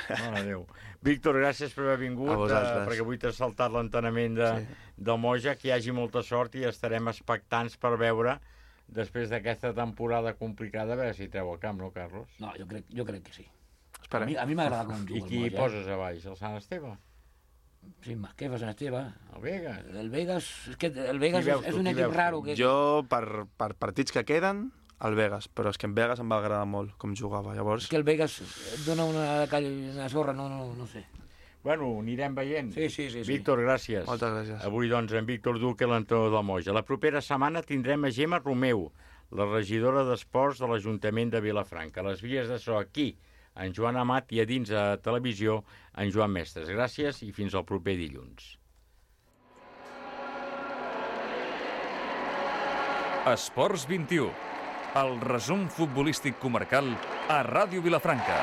Mare de Déu. Víctor, gràcies per haver vingut, A vosaltres. eh, perquè avui t'has saltat l'entenament de, sí. del Moja, que hi hagi molta sort i estarem expectants per veure, després d'aquesta temporada complicada, a veure si treu el camp, no, Carlos? No, jo crec, jo crec que sí. Esperem. A mi, a mi m'agrada com juga I qui el Moja. poses a baix? El Sant Esteve? Sí, Masquefa, Sant Esteve. El Vegas? El Vegas, és que el Vegas Qui veus és, és tu? un Qui equip veus tu? raro. Que... Jo, per, per partits que queden, el Vegas, però és que en Vegas em va agradar molt com jugava, llavors... És que el Vegas et dona una, una sorra, no, no, no sé. Bueno, anirem veient. Sí, sí, sí. sí. Víctor, gràcies. Moltes gràcies. Avui, doncs, en Víctor Duque, l'entrenador del Moja. La propera setmana tindrem a Gemma Romeu, la regidora d'Esports de l'Ajuntament de Vilafranca. A les vies de so aquí, en Joan Amat, i a dins a televisió, en Joan Mestres. Gràcies i fins al proper dilluns. Esports vint i u, el resum futbolístic comarcal a Ràdio Vilafranca.